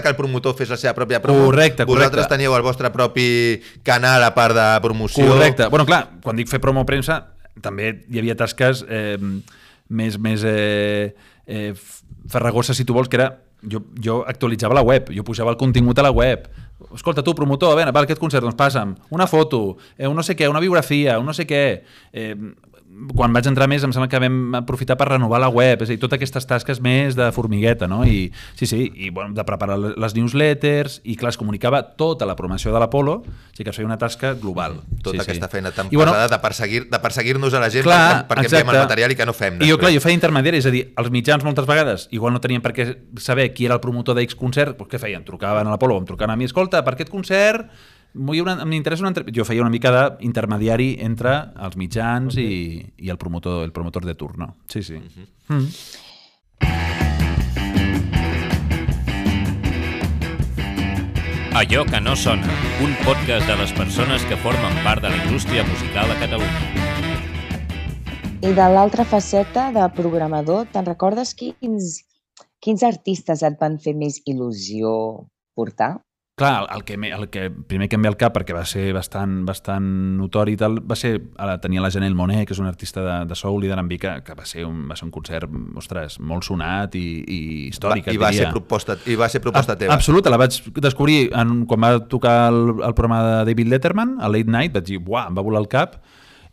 que el promotor fes la seva pròpia promo, vosaltres teníeu el vostre propi canal a part de promoció. Correcte. Bueno, clar, quan dic fer promo premsa, també hi havia tasques més farragoses, si tu vols, que era jo actualitzava la web, jo pujava el contingut a la web. Escolta, tu, promotor, a veure, per aquest concert, doncs passa'm una foto, un no sé què, una biografia, un no sé què. Quan vaig entrar més, em sembla que vam aprofitar per renovar la web, és a dir, totes aquestes tasques més de formigueta, no? I bueno, de preparar les newsletters, i clar, es comunicava tota la programació de l'Apolo, o sigui que es feia una tasca global. Tota aquesta feina tan pesada de perseguir-nos a la gent perquè enviem el material i que no fem. I jo feia intermediari, és a dir, els mitjans moltes vegades igual no tenien per què saber qui era el promotor d'X concert, doncs què feien? Trucaven a l'Apolo, em trucaven a mi, escolta, per aquest concert m'interessa una entrevista. Jo feia una mica d'intermediari entre els mitjans i el promotor de turno. Sí. Allò que no sona, un podcast de les persones que formen part de la indústria musical a Catalunya. I de l'altra faceta de programador, te'n recordes quins artistes et van fer més il·lusió portar? Clar, el que primer que em ve al cap, perquè va ser bastant notori i tal, va ser tenir la Janelle Monáe, que és una artista de soul i d'R&B, que va ser un concert, ostres, molt sonat i històric. I va ser proposta teva. Absoluta, la vaig descobrir quan va tocar el programa de David Letterman, a Late Night, vaig dir, uah, em va volar el cap.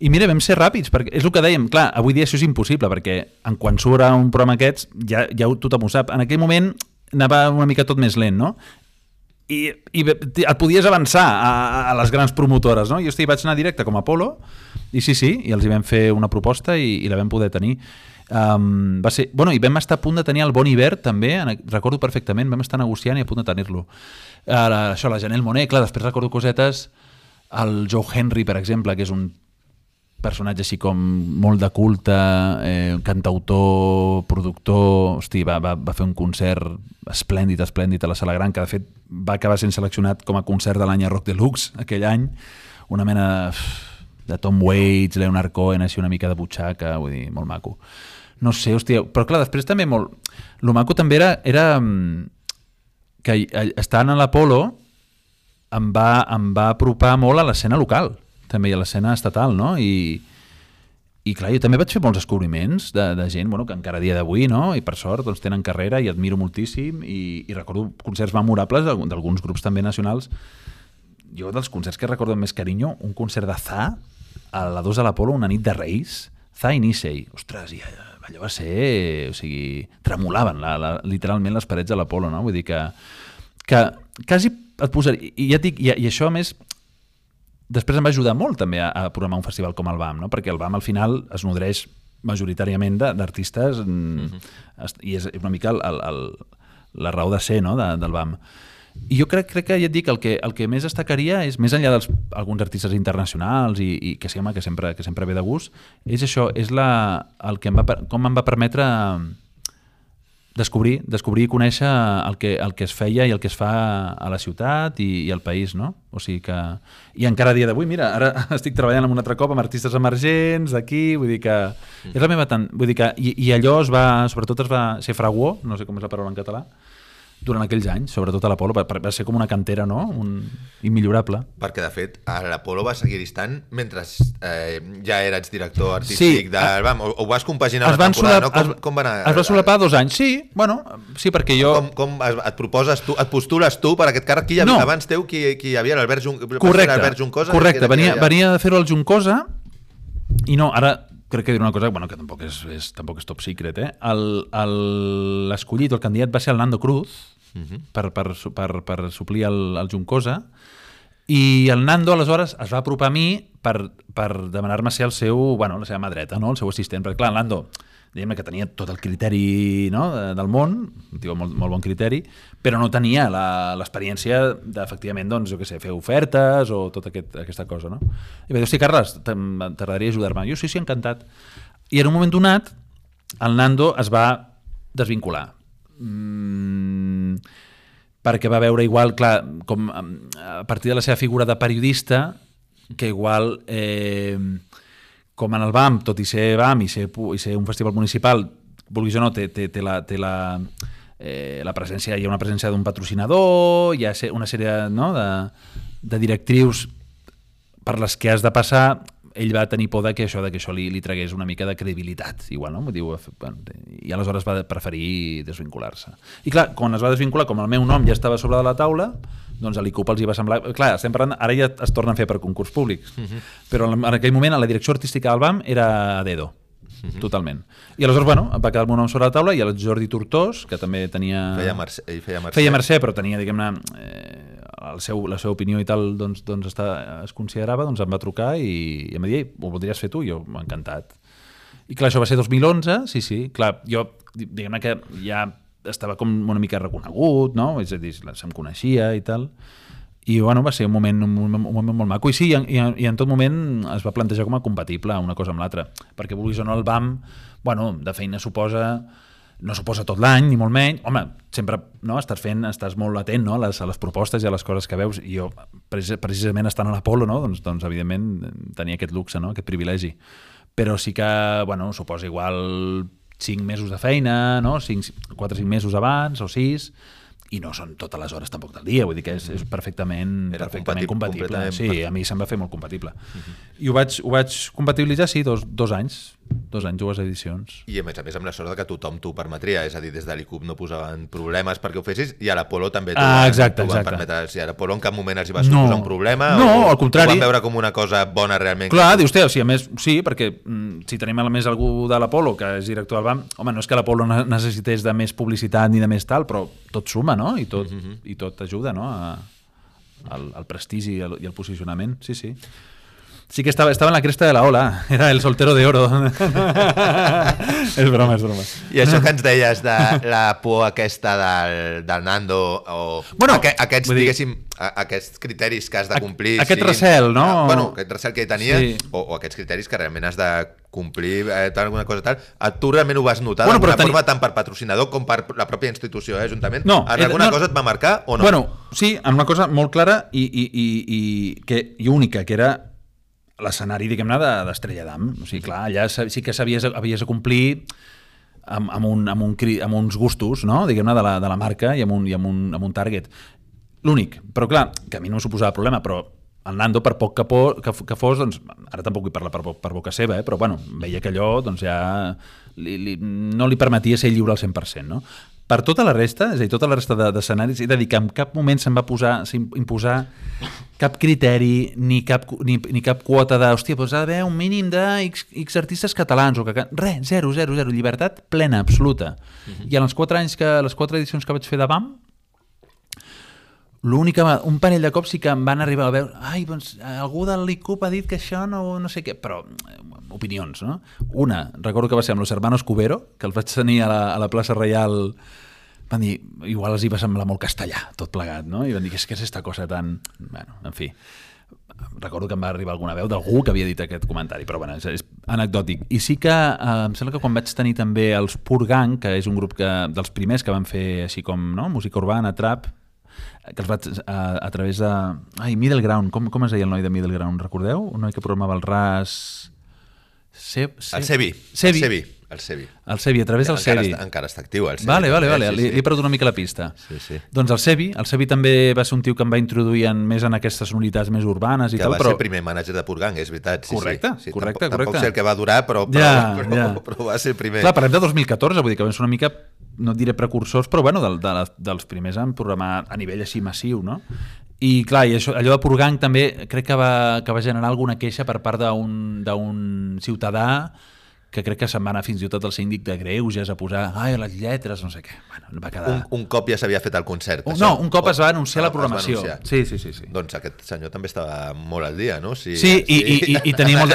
I mira, vam ser ràpids, perquè és el que dèiem, clar, avui dia això és impossible, perquè quan surt un programa aquests, ja tothom ho sap. En aquell moment anava una mica tot més lent, no? I et podies avançar a les grans promotores, no? Jo vaig anar directe com a Apolo, i i els hi vam fer una proposta i la vam poder tenir. I vam estar a punt de tenir el Bon Iver també, recordo perfectament, vam estar negociant i a punt de tenir-lo. Això, la Janelle Monáe, clar, després recordo cosetes, el Joe Henry, per exemple, que és un personatge així com molt de culte, cantautor, productor, hosti, va fer un concert esplèndid a la Sala Gran, que de fet va acabar sent seleccionat com a concert de l'any a Rock Deluxe aquell any, una mena de Tom Waits, Leonard Cohen, així una mica de butxaca, vull dir, molt maco. No sé, hòstia, però clar, després també molt... Lo maco també era que estant a l'Apolo em va apropar molt a l'escena local, també, a l'escena estatal, no? I clar, jo també vaig fer molts descobriments de gent, bueno, que encara a dia d'avui, no? I per sort, doncs tenen carrera i admiro moltíssim i recordo concerts memorables d'alguns grups també nacionals. Jo, dels concerts que recordo amb més carinyo, un concert de Za a la 2 de l'Apolo, una nit de Reis, Za i Nisei. Ostres, i allò va ser... O sigui, tremolaven literalment les parets de l'Apolo, no? Vull dir que quasi et posaria... I ja et dic, i això, a més, després em va ajudar molt també a programar un festival com el BAM, no? Perquè el BAM al final es nodreix majoritàriament d'artistes i és una mica la raó de ser, no? Del BAM. I jo crec que ja et dic, el que més destacaria és, més enllà d'alguns artistes internacionals i que sembla que sempre ve de gust, és això, és com em va permetre descobrir i conèixer el que es feia i el que es fa a la ciutat i al país, no? O sigui que... I encara a dia d'avui, mira, ara estic treballant un altre cop amb artistes emergents d'aquí, vull dir que... És la meva vull dir que... I allò sobretot es va ser fraguó, no sé com és la paraula en català, durant aquells anys, sobretot a l'Apolo, va ser com una cantera, no? Immillorable. Perquè, de fet, a l'Apolo va seguir distant mentre ja eres director artístic del BAM, o vas compaginar la temporada, no? Com va anar? Es va solapar 2 anys, sí, bueno, sí, perquè jo... Com et proposes tu, et postules tu per aquest càrrec? Qui hi havia abans teu? Qui hi havia? L'Albert Juncosa? Correcte, venia de fer-ho al Juncosa i no, ara... Crec que diré una cosa, bueno, que tampoc és top secret, l'escollit, el candidat va ser el Nando Cruz per suplir el Juncosa, i el Nando aleshores es va apropar a mi per demanar-me ser la seva mà dreta, no? El seu assistent, perquè clar, el Nando, diguem-ne que tenia tot el criteri, no? Del món, un tio molt bon criteri, però no tenia l'experiència d'efectivament, doncs, jo què sé, fer ofertes o tota aquesta cosa, no? I va dir, hosti, Carles, t'agradaria ajudar-me? Jo sí, encantat. I en un moment donat, el Nando es va desvincular. Perquè va veure igual, clar, com a partir de la seva figura de periodista, que igual... com en el BAM, tot i ser BAM i ser un festival municipal, vulguis o no, té la presència, hi ha una presència d'un patrocinador, hi ha una sèrie de directrius per les que has de passar. Ell va tenir por que això li tragués una mica de credibilitat, igual, no? I aleshores va preferir desvincular-se. I clar, quan es va desvincular, com el meu nom ja estava sobre de la taula, doncs a l'ICUP els hi va semblar... Clar, estem parlant... Ara ja es torna a fer per concurs públics, però en aquell moment la direcció artística del BAM era a dedo, totalment. I aleshores, bueno, va quedar el meu nom sobre la taula i el Jordi Tortós, que també tenia... Feia Mercè, però tenia, diguem-ne, la seva opinió i tal, doncs es considerava, doncs em va trucar i em va dir, ho voldries fer tu? I jo, encantat. I clar, això va ser 2011, sí. Clar, jo, diguem-ne que ja... estava com una mica reconegut, no? És a dir, se'm coneixia i tal. I bueno, va ser un moment molt maco. I sí, i en tot moment es va plantejar com a compatible una cosa amb l'altra. Perquè vulguis o no, el BAM, bueno, de feina no suposa tot l'any, ni molt menys. Home, sempre no, estàs molt atent, no, a les propostes i a les coses que veus. I jo, precisament estant a l'Apolo, no, doncs evidentment tenia aquest luxe, no, aquest privilegi. Però sí que, bueno, suposa igual 5 mesos de feina, no? 4 o 5 mesos abans, o 6, i no són totes les hores tampoc del dia, vull dir que és perfectament compatible. Sí, a mi se'm va fer molt compatible. I ho vaig compatibilitzar, sí, dos anys, 2 anys, 2 edicions. I a més amb la sort que tothom t'ho permetria, és a dir, des de l'ICUP no posaven problemes perquè ho fessis, i a l'Apolo també t'ho van permetre. Si a l'Apolo en cap moment els hi va suposar un problema? No, al contrari. Ho van veure com una cosa bona realment? Clar, dius, a més, sí, perquè si tenim a més algú de l'Apolo que és director del BAM, home, no és que l'Apolo necessités de més publicitat ni de més tal, però tot suma, no? I tot ajuda, no? Al prestigi i al posicionament, sí. Sí que estava en la cresta de la ola, era el soltero de oro. És broma. I això que ens deies de la por aquesta del Nando, o aquests, diguéssim, aquests criteris que has de complir... Aquest recel, no? Aquest recel que tenia, o aquests criteris que realment has de complir, alguna cosa tal, tu realment ho vas notar d'alguna forma tant per patrocinador com per la pròpia institució, Ajuntament? En alguna cosa et va marcar o no? Bueno, sí, en una cosa molt clara i única, que era l'escenari, diguem-ne, d'Estrella d'Am. O sigui, clar, allà sí que havies de complir amb uns gustos, no? Diguem-ne, de la marca i amb un target. L'únic, però clar, que a mi no me suposava problema, però el Nando, per poc que fos, doncs, ara tampoc vull parlar per boca seva, però bueno, veia que allò doncs, ja no li permetia ser lliure al 100%. No? Per tota la resta, és a dir, tota la resta d'escenaris, he de dir que en cap moment se'm va imposar cap criteri ni cap quota de, hòstia, doncs ha d'haver un mínim de X artistes catalans, o que res, zero, llibertat plena, absoluta. I en les 4 edicions que vaig fer de BAM, l'únic, un parell de cops sí que em van arribar a veure, doncs algú del l'ICUP ha dit que això no sé què, però opinions, no? Una, recordo que va ser amb los hermanos Cubero, que els vaig tenir a la plaça Reial, van dir, igual els hi va semblar molt castellà, tot plegat, no? I van dir, què és aquesta cosa tan... Bueno, en fi, recordo que em va arribar alguna veu d'algú que havia dit aquest comentari, però bueno, és anecdòtic. I sí que em sembla que quan vaig tenir també els Purgang, que és un grup dels primers que van fer així com música urbana, trap, que els vaig a través de... Middle Ground, com es deia el noi de Middle Ground, recordeu? Un noi que programava el RAS... El Sebi. El Sebi, a través del Sebi. Encara està actiu, el Sebi. Vale. Li he perdut una mica la pista. Sí. Doncs el Sebi també va ser un tio que em va introduir més en aquestes sonoritats més urbanes i tal. Que va ser el primer mànager de Purgang, és veritat. Correcte. Tampoc sé el que va durar, però va ser el primer. Clar, parlem de 2014, vull dir que vam ser una mica, no et diré precursors, però bueno, dels primers en programar a nivell així massiu, no? I clar, allò de Purgang també crec que va generar alguna queixa per part d'un ciutadà que crec que se'n va anar fins i tot al síndic de Greuges a posar les lletres, no sé què. Bueno, va quedar... Un cop ja s'havia fet el concert. Un cop es va anunciar la programació. Sí. Doncs aquest senyor també estava molt al dia, no? Sí, i tenia molt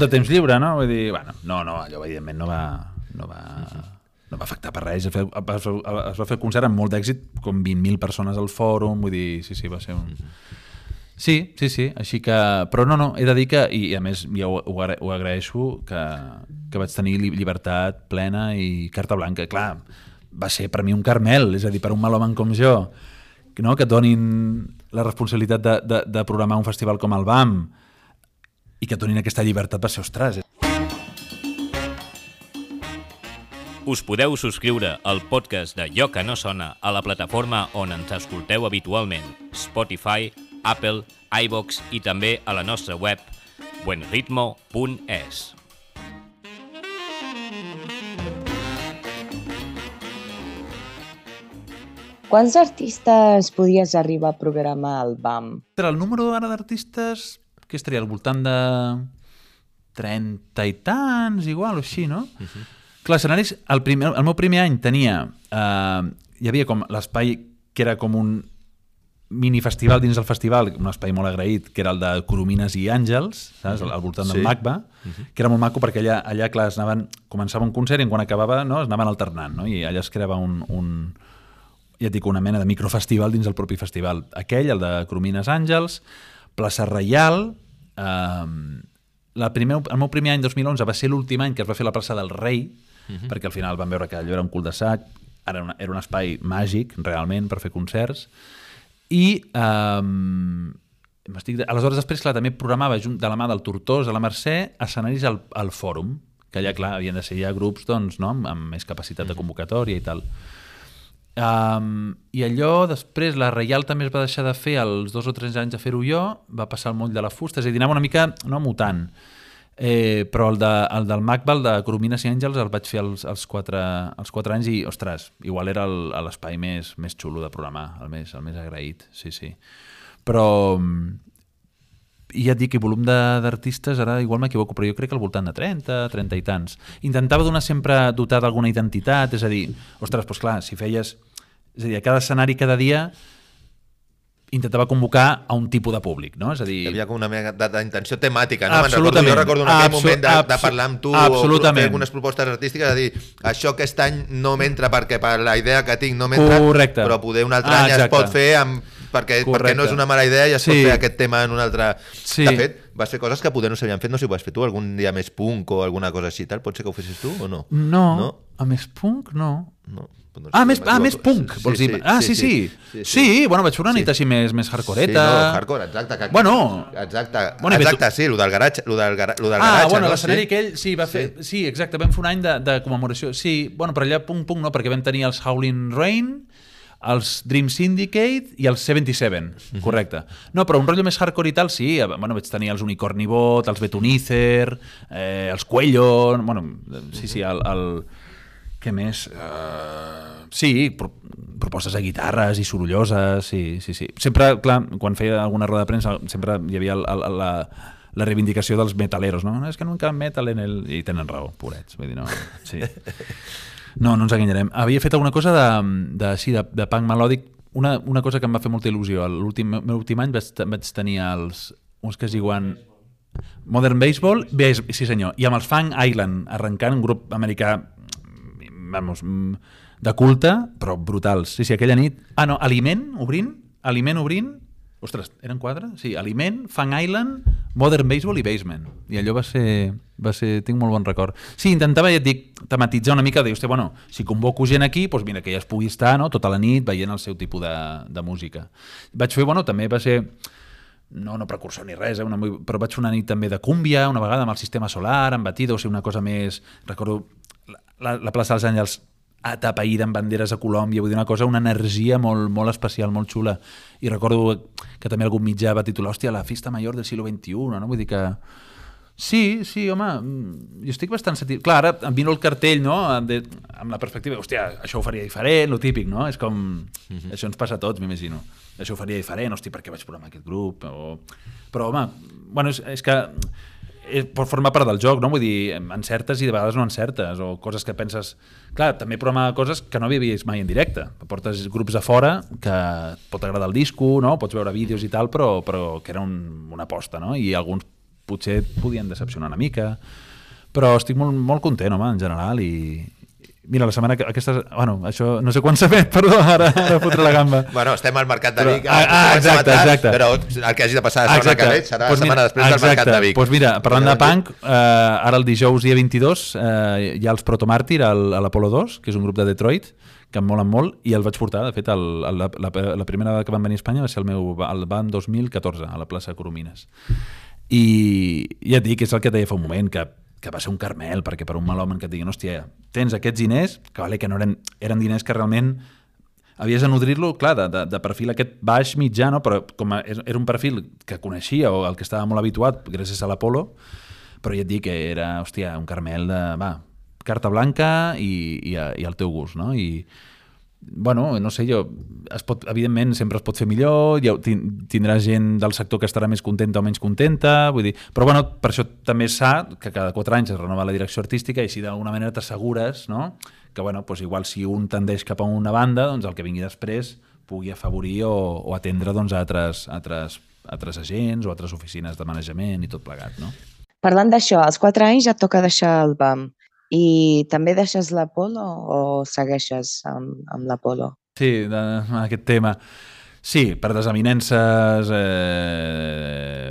de temps lliure, no? Vull dir, no, allò evidentment no va afectar per res. Es va fer el concert amb molt d'èxit, com 20.000 persones al fòrum, vull dir, sí, va ser un... Sí, així que... Però no, he de dir que, i a més ja ho agraeixo, que vaig tenir llibertat plena i carta blanca. Clar, va ser per mi un carmel, és a dir, per un malhomen com jo, no? Que et donin la responsabilitat de programar un festival com el BAM i que et donin aquesta llibertat va ser, ostres... Us podeu subscriure al podcast de Allò que no sona a la plataforma on ens escolteu habitualment, Spotify, Apple, iVoox i també a la nostra web buenritmo.es. Quants artistes podies arribar a programar al BAM? El número ara d'artistes, que estaria al voltant de 30 i tants, igual, o així, no? Clar, escenaris, el meu primer any tenia... hi havia com l'espai que era com un minifestival dins del festival, un espai molt agraït, que era el de Coromines i Àngels, saps? Al voltant del MACBA, que era molt maco perquè allà clar, començava un concert i quan acabava es anaven alternant, no? I allà es creava una mena de microfestival dins del propi festival. Aquell, el de Coromines Àngels, Plaça Reial... El meu primer any, 2011, va ser l'últim any que es va fer la plaça del Rei, perquè al final van veure que allò era un cul de sac, era un espai màgic, realment, per fer concerts. I aleshores després, clar, també programava de la mà del Tortós, de la Mercè, escenaris al Fòrum, que allà, clar, havien de ser ja grups doncs, no? Amb més capacitat de convocatòria i tal. I allò, després, la Reial també es va deixar de fer els 2 o 3 anys de fer-ho jo, va passar al moll de la fusta, és a dir, anava una mica, no mutant, però el del MACBA, el de Coromines i Àngels, el vaig fer els 4 anys i, ostres, igual era l'espai més xulo de programar, el més agraït, sí. Però... I ja et dic que volum d'artistes, ara igual m'equivoco, però jo crec que al voltant de 30 i tants. Intentava dotar d'alguna identitat, és a dir, ostres, doncs clar, si feies... És a dir, a cada escenari, cada dia, intentava convocar a un tipus de públic, no? És a dir... Hi havia com una mena d'intenció temàtica, no? Absolutament. Jo recordo en aquell moment de parlar amb tu o fer algunes propostes artístiques, és a dir, això aquest any no m'entra perquè per la idea que tinc no m'entra, però poder un altre any es pot fer perquè no és una mala idea i es pot fer aquest tema en un altre... De fet, vas fer coses que poder no s'havien fet, no sé si ho has fet tu, algun dia més punk o alguna cosa així, tal, pot ser que ho fessis tu o no? No, a més punk no. No? Més punk, vols dir? Sí, bueno, vaig fer una nit així més hardcoreta. Sí, no, hardcore, exacte. Exacte, sí, el del garatge. Bueno, l'escenari aquell, sí, va fer... Sí, exacte, vam fer un any de commemoració. Sí, bueno, però allà punk no, perquè vam tenir els Howling Rain, els Dream Syndicate i els 77, correcte. No, però un rotllo més hardcore i tal, sí, bueno, vaig tenir els Unicornibot, els Betunizer, els Cuello, bueno, sí, el què més? Sí, propostes de guitarres i sorolloses, sí. Sempre, clar, quan feia alguna roda de premsa, sempre hi havia la reivindicació dels metaleros, no? És que no encara metal en el... I tenen raó, pobrets, vull dir, no... Sí. No ens enganyarem. Havia fet alguna cosa de punk melòdic, una cosa que em va fer molta il·lusió. L'últim any vaig tenir uns que es diuen Modern Baseball, sí senyor, i amb els Fang Island, arrencant un grup americà de culte, però brutals. Sí, aquella nit... Aliment obrint... Ostres, eren 4? Sí, Aliment, Fang Island, Modern Baseball i Basement. I allò va ser... Tinc molt bon record. Sí, intentava, ja et dic, tematitzar una mica, de dir, bueno, si convoco gent aquí, doncs mira, que ja es pugui estar, no?, tota la nit veient el seu tipus de música. Vaig fer, també va ser... No precursor ni res, però vaig fer una nit també de cúmbia, una vegada amb el Sistema Solar, amb Batido, o sigui, una cosa més... Recordo la plaça dels Àngels atapeïda amb banderes a Colòmbia, vull dir, una energia molt especial, molt xula. I recordo que també algun mitjà va titular, hòstia, la festa major del siglo XXI, no? Vull dir que... Sí, home, jo estic bastant satisfet. Clar, ara em vino el cartell, no?, amb la perspectiva, hòstia, això ho faria diferent, lo típic, no? És com... Això ens passa a tots, m'imagino. Això ho faria diferent, hosti, per què vaig programar aquest grup? Però, home, bueno, és que pot formar part del joc, no? Vull dir, encertes i de vegades no encertes, o coses que penses... Clar, també programar coses que no havia vist mai en directe. Portes grups a fora que pot agradar el disco, no? Pots veure vídeos i tal, però que era una aposta, no? I alguns potser podien decepcionar una mica, però estic molt content, home, en general, i mira, la setmana aquesta... Bueno, això no sé quan s'ha fet, perdó, ara fotré la gamba. Bueno, estem al Mercat de Vic, exacte. Però el que hagi de passar la setmana que ve serà la setmana després del Mercat de Vic. Doncs mira, parlant de punk, ara el dijous dia 22 hi ha els Protomàrtir a l'Apolo 2, que és un grup de Detroit, que em molen molt, i el vaig portar, de fet, la primera vegada que van venir a Espanya va ser el BAM 2014, a la plaça Coromines. I ja et dic, és el que et deia fa un moment, que va ser un caramel, perquè per un mal home que et diguin, hòstia, tens aquests diners, que no eren diners que realment havies de nodrir-lo, clar, de perfil aquest baix mitjà, no? Però com era un perfil que coneixia o el que estava molt habituat gràcies a l'Apolo, però ja et dic que era, hòstia, un caramel de, carta blanca i al teu gust, no? I bueno, no sé, evidentment sempre es pot fer millor, tindrà gent del sector que estarà més contenta o menys contenta, vull dir, però bueno, per això també és sa que cada 4 anys es renova la direcció artística i així d'alguna manera t'assegures, no?, que bueno, doncs igual si un tendeix cap a una banda, doncs el que vingui després pugui afavorir o atendre doncs, altres agents o altres oficines de manejament i tot plegat, no? Parlant d'això, als 4 anys ja et toca deixar el BAM. I també deixes l'Apolo o segueixes amb l'Apolo? Sí, aquest tema. Sí, per desavinences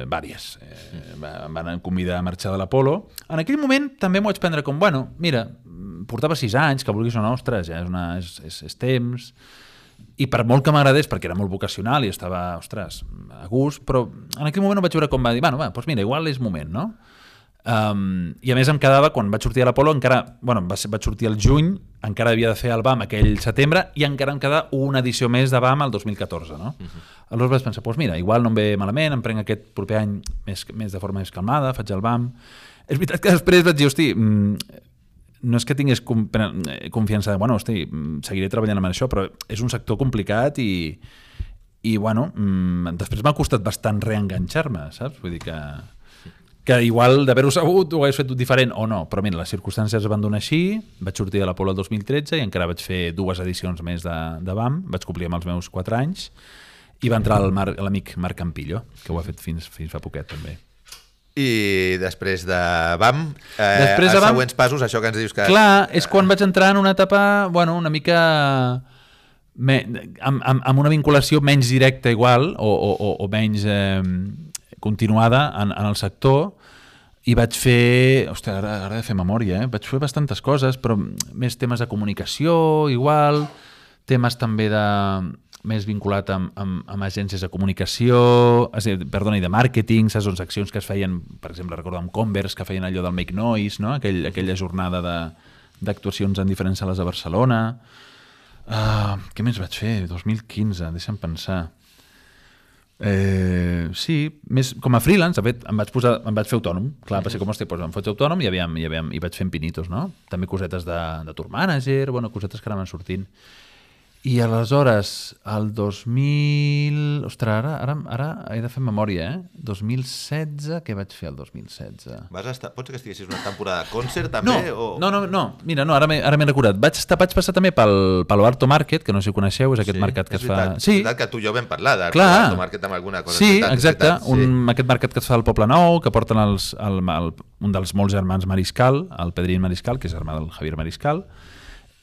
vàries. Em van convidar a marxar de l'Apolo. En aquell moment també m'ho vaig prendre com, bueno, mira, portava 6 anys, que vulguis o no, ostres, ja és temps. I per molt que m'agradés, perquè era molt vocacional i estava, ostres, a gust, però en aquell moment ho vaig veure com va dir, bueno, doncs mira, igual és moment, no? I a més em quedava, quan vaig sortir a l'Apolo vaig sortir al juny, encara havia de fer el BAM aquell setembre i encara em quedava una edició més de BAM el 2014, no? Aleshores vaig pensar, doncs mira, igual no em ve malament, em prenc aquest proper any més de forma més calmada, faig el BAM. És veritat que després vaig dir, hosti, no és que tingués confiança de, bueno, hosti, seguiré treballant amb això, però és un sector complicat i bueno, després m'ha costat bastant reenganxar-me, saps? Vull dir que igual d'haver-ho sabut ho hagués fet diferent o no, però mira, les circumstàncies es van donar així, vaig sortir de l'Apolo el 2013 i encara vaig fer 2 edicions més de BAM, vaig complir amb els meus 4 anys i va entrar l'amic Marc Campillo, que ho ha fet fins fa poquet també. I després de BAM, els següents passos, això que ens dius que... Clar, és quan vaig entrar en una etapa, bueno, una mica... amb una vinculació menys directa igual o menys... continuada en el sector i vaig fer... Ostres, ara he de fer memòria, Vaig fer bastantes coses, però més temes de comunicació, igual, temes també més vinculat amb agències de comunicació, i de màrqueting, saps, doncs accions que es feien, per exemple, recordo amb Converse, que feien allò del Make Noise, no? Aquella jornada d'actuacions en diferents sales de Barcelona. Què més vaig fer? 2015, deixa'm pensar. Sí, més com a freelance, de fet, em vaig fer autònom. Clar, va ser com, hòstia, em faig autònom i vaig fent pinitos, no? També cosetes de tour manager, cosetes que anaven sortint. I aleshores, el 2000... Ostres, ara he de fer memòria, 2016, què vaig fer el 2016? Pots que estiguessis una temporada de concert, també? No. Mira, ara m'he recordat. Vaig passar també pel Arto Market, que no sé si coneixeu, és aquest mercat que es fa... Sí, és veritat que tu i jo vam parlar d'Arto Market amb alguna cosa. Sí, exacte. Aquest mercat que es fa al Poble Nou, que porten un dels molts germans Mariscal, el Pedrín Mariscal, que és germà del Javier Mariscal.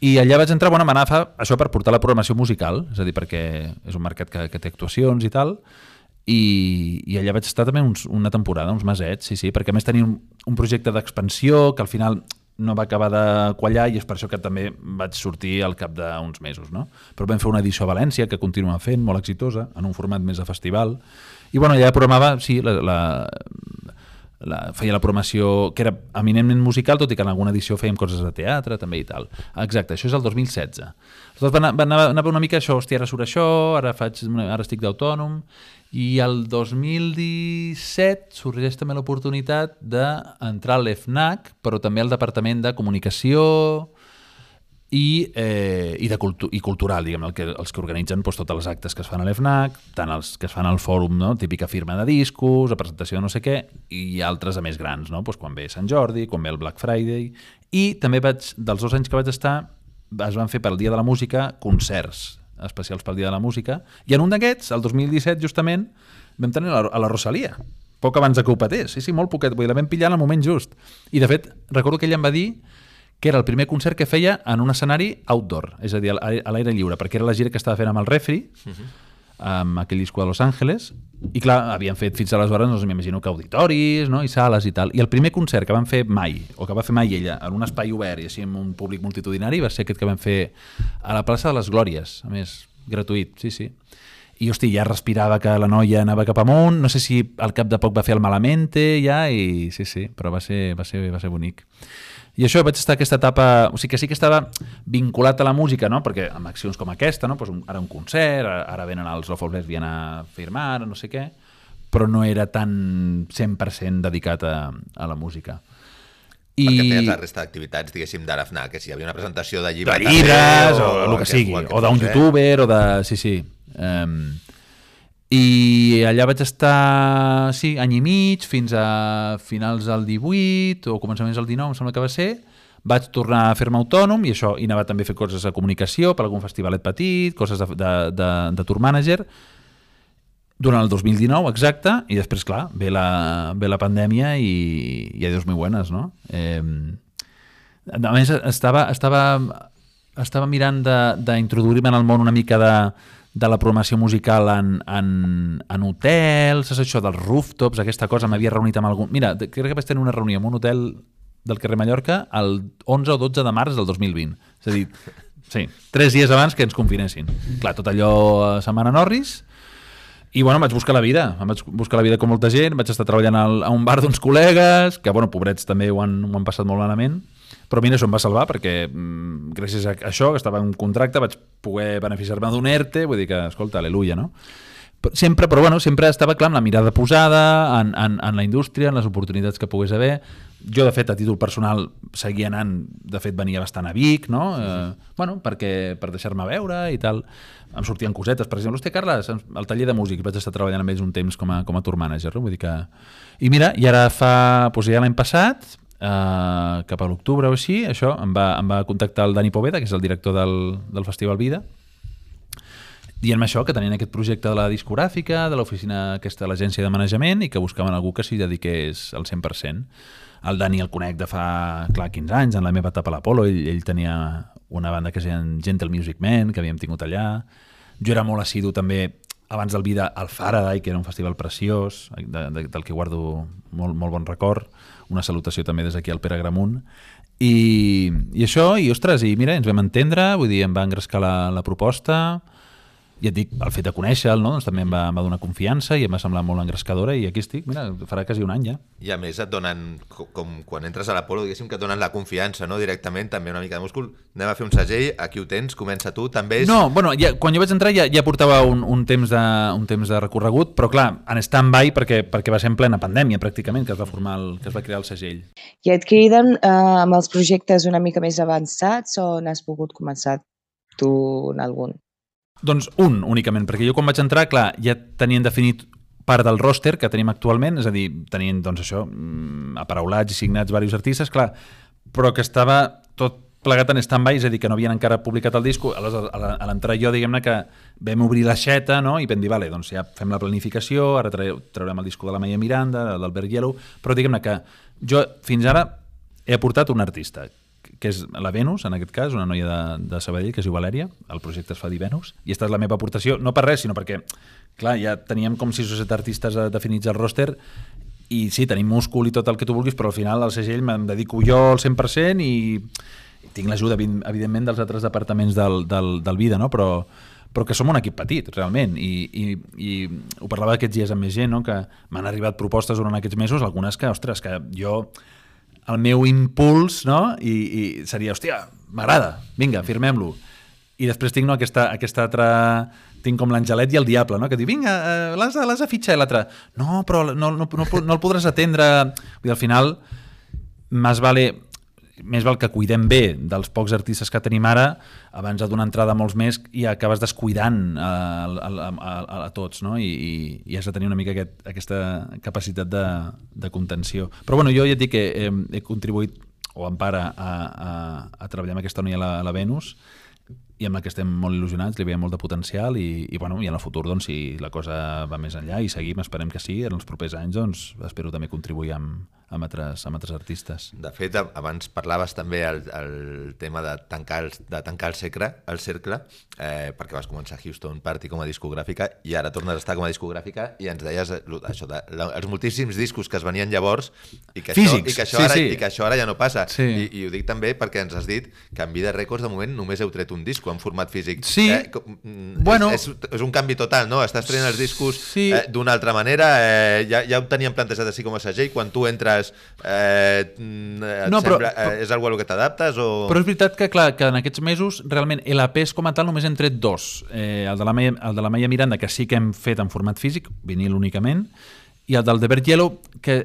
I allà vaig entrar, m'anava això per portar la programació musical, és a dir, perquè és un mercat que té actuacions i tal, i allà vaig estar també una temporada, uns mesets, sí, perquè a més tenia un projecte d'expansió que al final no va acabar de quallar i és per això que també vaig sortir al cap d'uns mesos, no? Però vam fer una edició a València que continua fent, molt exitosa, en un format més de festival, i allà programava, sí, feia la programació que era eminentment musical, tot i que en alguna edició fèiem coses de teatre també i tal. Exacte, això és el 2016. Aleshores va anar una mica això, hòstia, ara surt això, ara estic d'autònom, i el 2017 sorgeix també l'oportunitat d'entrar a l'EFNAC, però també al Departament de Comunicació i cultural, diguem, els que organitzen totes les actes que es fan a l'EFNAC, tant els que es fan al fòrum, no? Típica firma de discos, la presentació de no sé què, i altres a més grans, no? Quan ve Sant Jordi, quan ve el Black Friday, i també dels 2 anys que vaig estar, es van fer pel Dia de la Música concerts especials pel Dia de la Música, i en un d'aquests, el 2017 justament, vam tenir a la Rosalia, poc abans que ho patés, sí, molt poquet, la vam pillar en el moment just, i de fet, recordo que ella em va dir que era el primer concert que feia en un escenari outdoor, és a dir, a l'aire lliure, perquè era la gira que estava fent amb el Refri, amb aquell disco de Los Angeles, i clar, havien fet fins aleshores, doncs m'imagino que auditoris, no? I sales i tal, i el primer concert que van fer mai, o que va fer mai ella, en un espai obert i així amb un públic multitudinari, va ser aquest que vam fer a la plaça de les Glòries, a més, gratuït, sí. I, hosti, ja respirava que la noia anava cap amunt, no sé si al cap de poc va fer el Malamente, ja, i sí, però va ser bonic. I això, vaig estar aquesta etapa... O sigui que sí que estava vinculat a la música, no? Perquè amb accions com aquesta, no? Ara un concert, ara venen els Love of Lesbian a firmar, no sé què, però no era tan 100% dedicat a la música. Perquè feies la resta d'activitats, diguéssim, de l'AFNAC, que si hi havia una presentació de llibres... De llibres, o el que sigui, o d'un youtuber, o de... Sí. I allà vaig estar, sí, any i mig, fins a finals del 18 o començaments del 19, em sembla que va ser. Vaig tornar a fer-me autònom i anava també a fer coses de comunicació per algun festivalet petit, coses de tour manager, durant el 2019, exacte, i després, clar, ve la pandèmia i adiós muy buenas, no? A més, estava mirant d'introduir-me en el món una mica de la programació musical en hotels, és això dels rooftops, aquesta cosa, m'havia reunit amb algun... Mira, crec que vaig tenir una reunió en un hotel del carrer Mallorca el 11 o 12 de març del 2020. És a dir, sí, 3 dies abans que ens confinessin. Clar, tot allò a Setmana Norris, i bueno, em vaig buscar la vida. Em vaig buscar la vida com molta gent, vaig estar treballant a un bar d'uns col·legues, que, bueno, pobrets també ho han passat molt malament, però mira, això em va salvar perquè gràcies a això, que estava en un contracte, vaig poder beneficiar-me d'un ERTE, vull dir que, escolta, aleluia, no? Sempre estava, clar, amb la mirada posada en la indústria, en les oportunitats que pogués haver. Jo, de fet, a títol personal, seguia anant, de fet, venia bastant a Vic, no? Bueno, per deixar-me veure i tal. Em sortien cosetes, per exemple, hòstia, Carles, al taller de músics, vaig estar treballant amb ells un temps com a tour manager, no? Vull dir que... I mira, i ara ja l'any passat, cap a l'octubre o així, això, em va contactar el Dani Poveda, que és el director del Festival Vida, dient-me això, que tenien aquest projecte de la discogràfica, de l'oficina aquesta de l'agència de manejament, i que buscaven algú que s'hi dediqués al 100%. El Dani el conec de fa, clar, 15 anys, en la meva etapa a l'Apolo, ell tenia una banda que es deia Gentle Music Man, que havíem tingut allà. Jo era molt assidu també abans del Vida al Faraday, que era un festival preciós, del que guardo molt bon record. Una salutació també des d'aquí al Pere Gramunt. I això, i ostres, i mira, ens vam entendre, vull dir, em va engrescar la proposta. I et dic, el fet de conèixer-lo, no? Doncs també em va donar confiança i em va semblar molt engrescadora i aquí estic, mira, farà quasi un any ja. I a més et donen, com quan entres a l'Apolo, diguéssim que et donen la confiança, no? Directament, també una mica de múscul. Anem a fer un segell, aquí ho tens, comença tu, també és... No, bueno, quan jo vaig entrar ja portava un temps de recorregut, però clar, en stand-by perquè va ser en plena pandèmia pràcticament que es va crear el segell. I et criden amb els projectes una mica més avançats o n'has pogut començar tu en algun? Doncs un, únicament, perquè jo quan vaig entrar, clar, ja tenien definit part del roster que tenim actualment, és a dir, tenien, doncs això, aparaulats i signats diversos artistes, clar, però que estava tot plegat en stand-by, és a dir, que no havien encara publicat el disco. Aleshores, a l'entrar jo, diguem-ne que vam obrir l'aixeta, no?, i vam dir, vale, doncs ja fem la planificació, ara traurem el disco de la Maia Miranda, d'Albert Yellow, però diguem-ne que jo fins ara he aportat un artista, que és la Venus, en aquest cas, una noia de Sabadell, que es diu Valèria, el projecte es fa dir Venus, i esta és la meva aportació, no per res, sinó perquè, clar, ja teníem com 6 o 7 artistes definits al roster, i sí, tenim múscul i tot el que tu vulguis, però al final al segell me'n dedico jo al 100% i tinc l'ajuda, evidentment, dels altres departaments del Vida, no? Però que som un equip petit, realment, i ho parlava aquests dies amb més gent, no? Que m'han arribat propostes durant aquests mesos, algunes que, ostres, que jo... El meu impuls, no? I seria, hòstia, m'agrada, vinga, firmem-lo. I després tinc aquesta altra... Tinc com l'Angelet i el Diable, no? Que diu, vinga, l'has de fitxar, i l'altre, no, però no el podràs atendre. Vull dir, al final, més val que cuidem bé dels pocs artistes que tenim ara abans de donar entrada a molts més i acabes descuidant a tots, no? I has de tenir una mica aquesta capacitat de contenció. Però bueno, jo ja et dic que he contribuït o en part a treballar amb aquesta noia a la Venus i amb la que estem molt il·lusionats, li veiem molt de potencial i en el futur, doncs, si la cosa va més enllà i seguim, esperem que sí, en els propers anys, doncs, espero també contribuir amb altres artistes. De fet, abans parlaves també el tema de tancar el cercle, perquè vas començar Houston Party com a discogràfica i ara tornes a estar com a discogràfica i ens deies això, els moltíssims discos que es venien llavors i que això ara ja no passa. Sí. I ho dic també perquè ens has dit que en Vida Records de moment només heu tret un disc en format físic. Sí. Bueno. És un canvi total, no? Estàs traient els discos d'una altra manera, ja ho teníem plantejat així com a segell, quan tu entres és algo a lo que t'adaptes o... Però és veritat que, clar, que en aquests mesos realment LPs com a tal només hem tret 2, el de la Maia Miranda, que sí que hem fet en format físic, vinil únicament, i el del Albert Yellow, que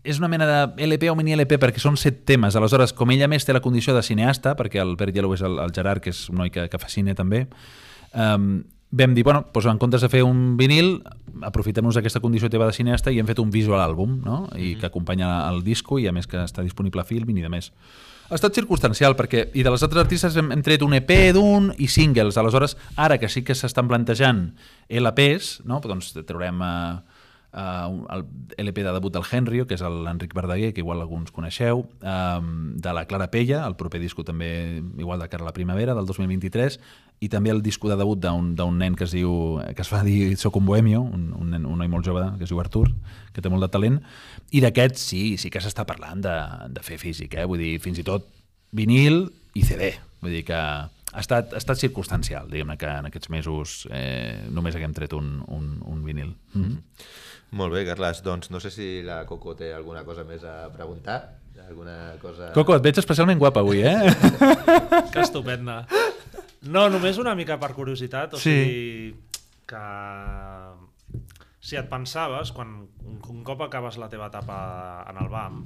és una mena de LP o mini LP perquè són 7 temes. Aleshores, com ella més té la condició de cineasta, perquè el Albert Yellow és el Gerard, que és un noi que fa cine també, vam dir, bueno, doncs en comptes de fer un vinil, aprofitem-nos d'aquesta condició teva de cineasta i hem fet un visual àlbum, no? I que acompanya el disco i a més que està disponible a Filmin i de més. Ha estat circumstancial perquè, i de les altres artistes hem tret un EP d'un i singles. Aleshores, ara que sí que s'estan plantejant LPs, no? Doncs traurem el LP de debut del Henry, que és l'Enric Verdaguer, que igual alguns coneixeu, de la Clara Pella, el proper disco també igual de cara a la primavera del 2023, i també el disco de debut d'un nen que es fa dir Soc un bohemio, un noi molt jove que es diu Artur, que té molt de talent, i d'aquest sí que s'està parlant de fer físic, vull dir, fins i tot vinil i CD, vull dir que ha estat circumstancial, diguem-ne que en aquests mesos només haguem tret un vinil. Molt bé, Carles, doncs no sé si la Coco té alguna cosa més a preguntar. Alguna cosa... Coco, et veig especialment guapa avui, Que estupenda. No, només una mica per curiositat, o sigui que si et pensaves, quan un cop acabes la teva etapa en el BAM,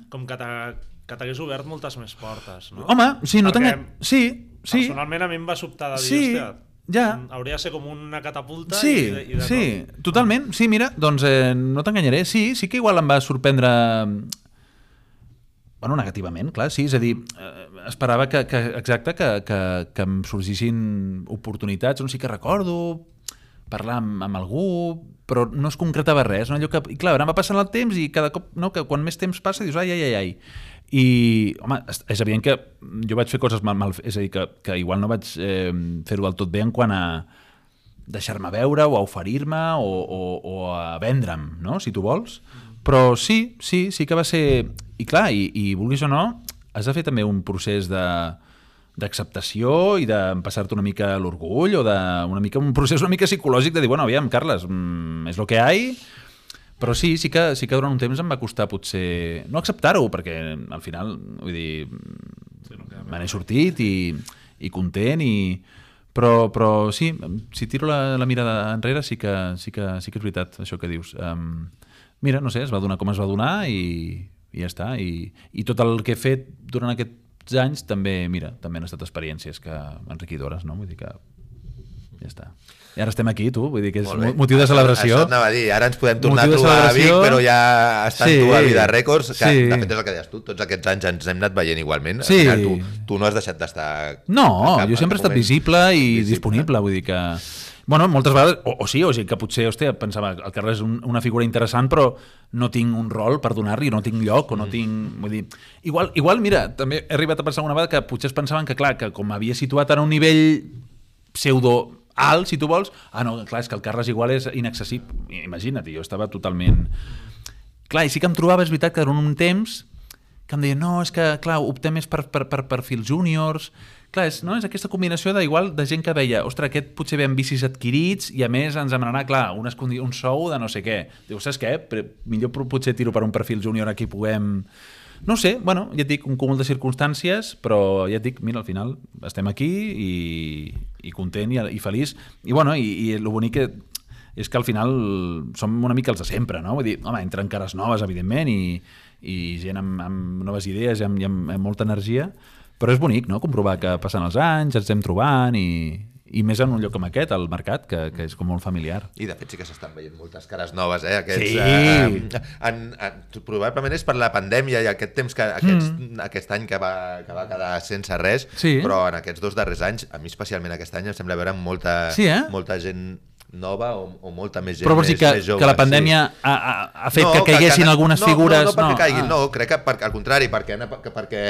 com que t'hagués obert moltes més portes, no? Home, sí, no t'engany... Sí. Personalment a mi em va sobtar de dir, hòstia, hauria de ser com una catapulta i de tot. Totalment. Sí, mira, doncs no t'enganyaré. Sí que igual em va sorprendre... Bueno, negativament, clar, sí. És a dir, esperava que em sorgissin oportunitats. No sé, que recordo parlar amb algú, però no es concretava res. No? Allò que, i clar, ara va passant el temps i cada cop, no, que quan més temps passa dius ai. I, home, és evident que jo vaig fer coses mal, és a dir, que igual no vaig fer-ho del tot bé en quant a deixar-me veure o a oferir-me o a vendre'm, no? Si tu vols. Però sí que va ser... I clar, i vulguis o no, has de fer també un procés d'acceptació i d'empassar-te una mica l'orgull o un procés una mica psicològic de dir, bueno, aviam, Carles, és lo que hi ha, però sí que durant un temps em va costar potser no acceptar-ho, perquè al final, vull dir, me n'he sortit i content però sí, si tiro la mirada enrere sí que és veritat això que dius. Mira, no sé, es va donar com es va donar i ja està. I tot el que he fet durant aquests anys també, mira, també han estat experiències enriquidores, no? Vull dir que ja està. I ara estem aquí, tu, vull dir que és motiu de celebració. Això anava a dir, ara ens podem tornar a trobar a Vic, però ja estàs tu a Vida Rècords, que de fet és el que deies tu, tots aquests anys ens hem anat veient igualment. Al final tu no has deixat d'estar... No, jo sempre he estat visible i disponible, vull dir que... Bueno, moltes vegades, o sigui que potser, hòstia, pensava, el Carles és una figura interessant, però no tinc un rol per donar-li, no tinc lloc, o no tinc... Vull dir, igual, mira, també he arribat a pensar una vegada que potser es pensaven que, clar, que com m'havia situat en un nivell pseudo alt, si tu vols, no, clar, és que el Carles igual és inaccessible. Imagina't, jo estava totalment... Clar, i sí que em trobava, és veritat, que durant un temps que em deia, no, és que, clar, optem més per perfils júniors... Clar, és aquesta combinació d'igual de gent que veia, ostres, aquest potser ve amb bicis adquirits i a més ens demanarà, clar, un sou de no sé què. Diu, saps què? Millor potser tiro per un perfil júnior aquí puguem... No sé, bueno, ja et dic, un cúmul de circumstàncies, però ja et dic, mira, al final estem aquí i content i feliç. I bueno, i el bonic és que al final som una mica els de sempre, no? Vull dir, home, entren cares noves, evidentment, i gent amb noves idees i amb molta energia, però és bonic, no?, comprovar que passen els anys, ens estem trobant i més en un lloc com aquest, al mercat, que és com molt familiar. I de fet sí que s'estan veient moltes cares noves, Sí! Probablement és per la pandèmia i aquest temps aquest any que va quedar sense res, però en aquests 2 darrers anys, a mi especialment aquest any, em sembla veure molta gent nova o molta més gent però més jove. Que la pandèmia ha fet que caiguessin algunes figures... No perquè caiguin, no, crec que al contrari, perquè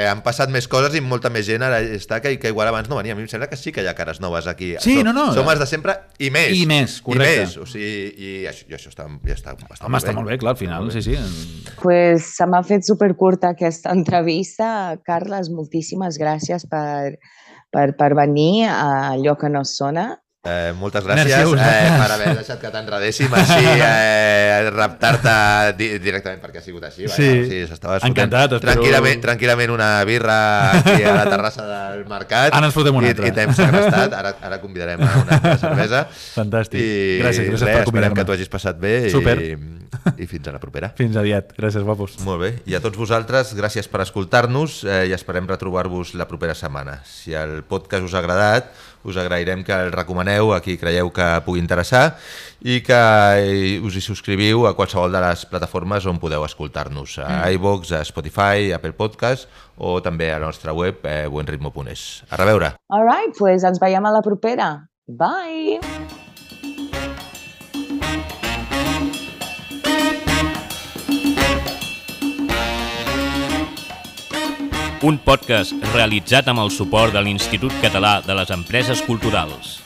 han passat més coses i molta més gent ara està que igual abans no venia. A mi em sembla que sí que hi ha cares noves aquí. Sí, som els de sempre i més. I més, correcte. O sigui, i això està bastant Home, està molt bé, clar, al final, sí. Pues se m'ha fet supercurta aquesta entrevista. Carles, moltíssimes gràcies per venir a Allò que no sona. Moltes gràcies per haver deixat que t'enredéssim així, raptar-te directament perquè ha sigut així. Sí, encantat. Tranquil·lament una birra aquí a la terrassa del mercat. Ara ens fotem una altra. I t'hem segrestat, ara convidarem a una altra cervesa. Fantàstic. Gràcies per convidar-me. Esperem que t'ho hagis passat bé. Super. I fins a la propera. Fins aviat. Gràcies, guapos. Molt bé. I a tots vosaltres, gràcies per escoltar-nos i esperem retrobar-vos la propera setmana. Si el podcast us ha agradat, us agrairem que el recomaneu a qui creieu que pugui interessar i que us hi subscriviu a qualsevol de les plataformes on podeu escoltar-nos, a iVoox, a Spotify, Apple Podcast o també a la nostra web buenritmo.es. A reveure! All right, pues ens veiem a la propera. Bye! Un podcast realitzat amb el suport de l'Institut Català de les Empreses Culturals.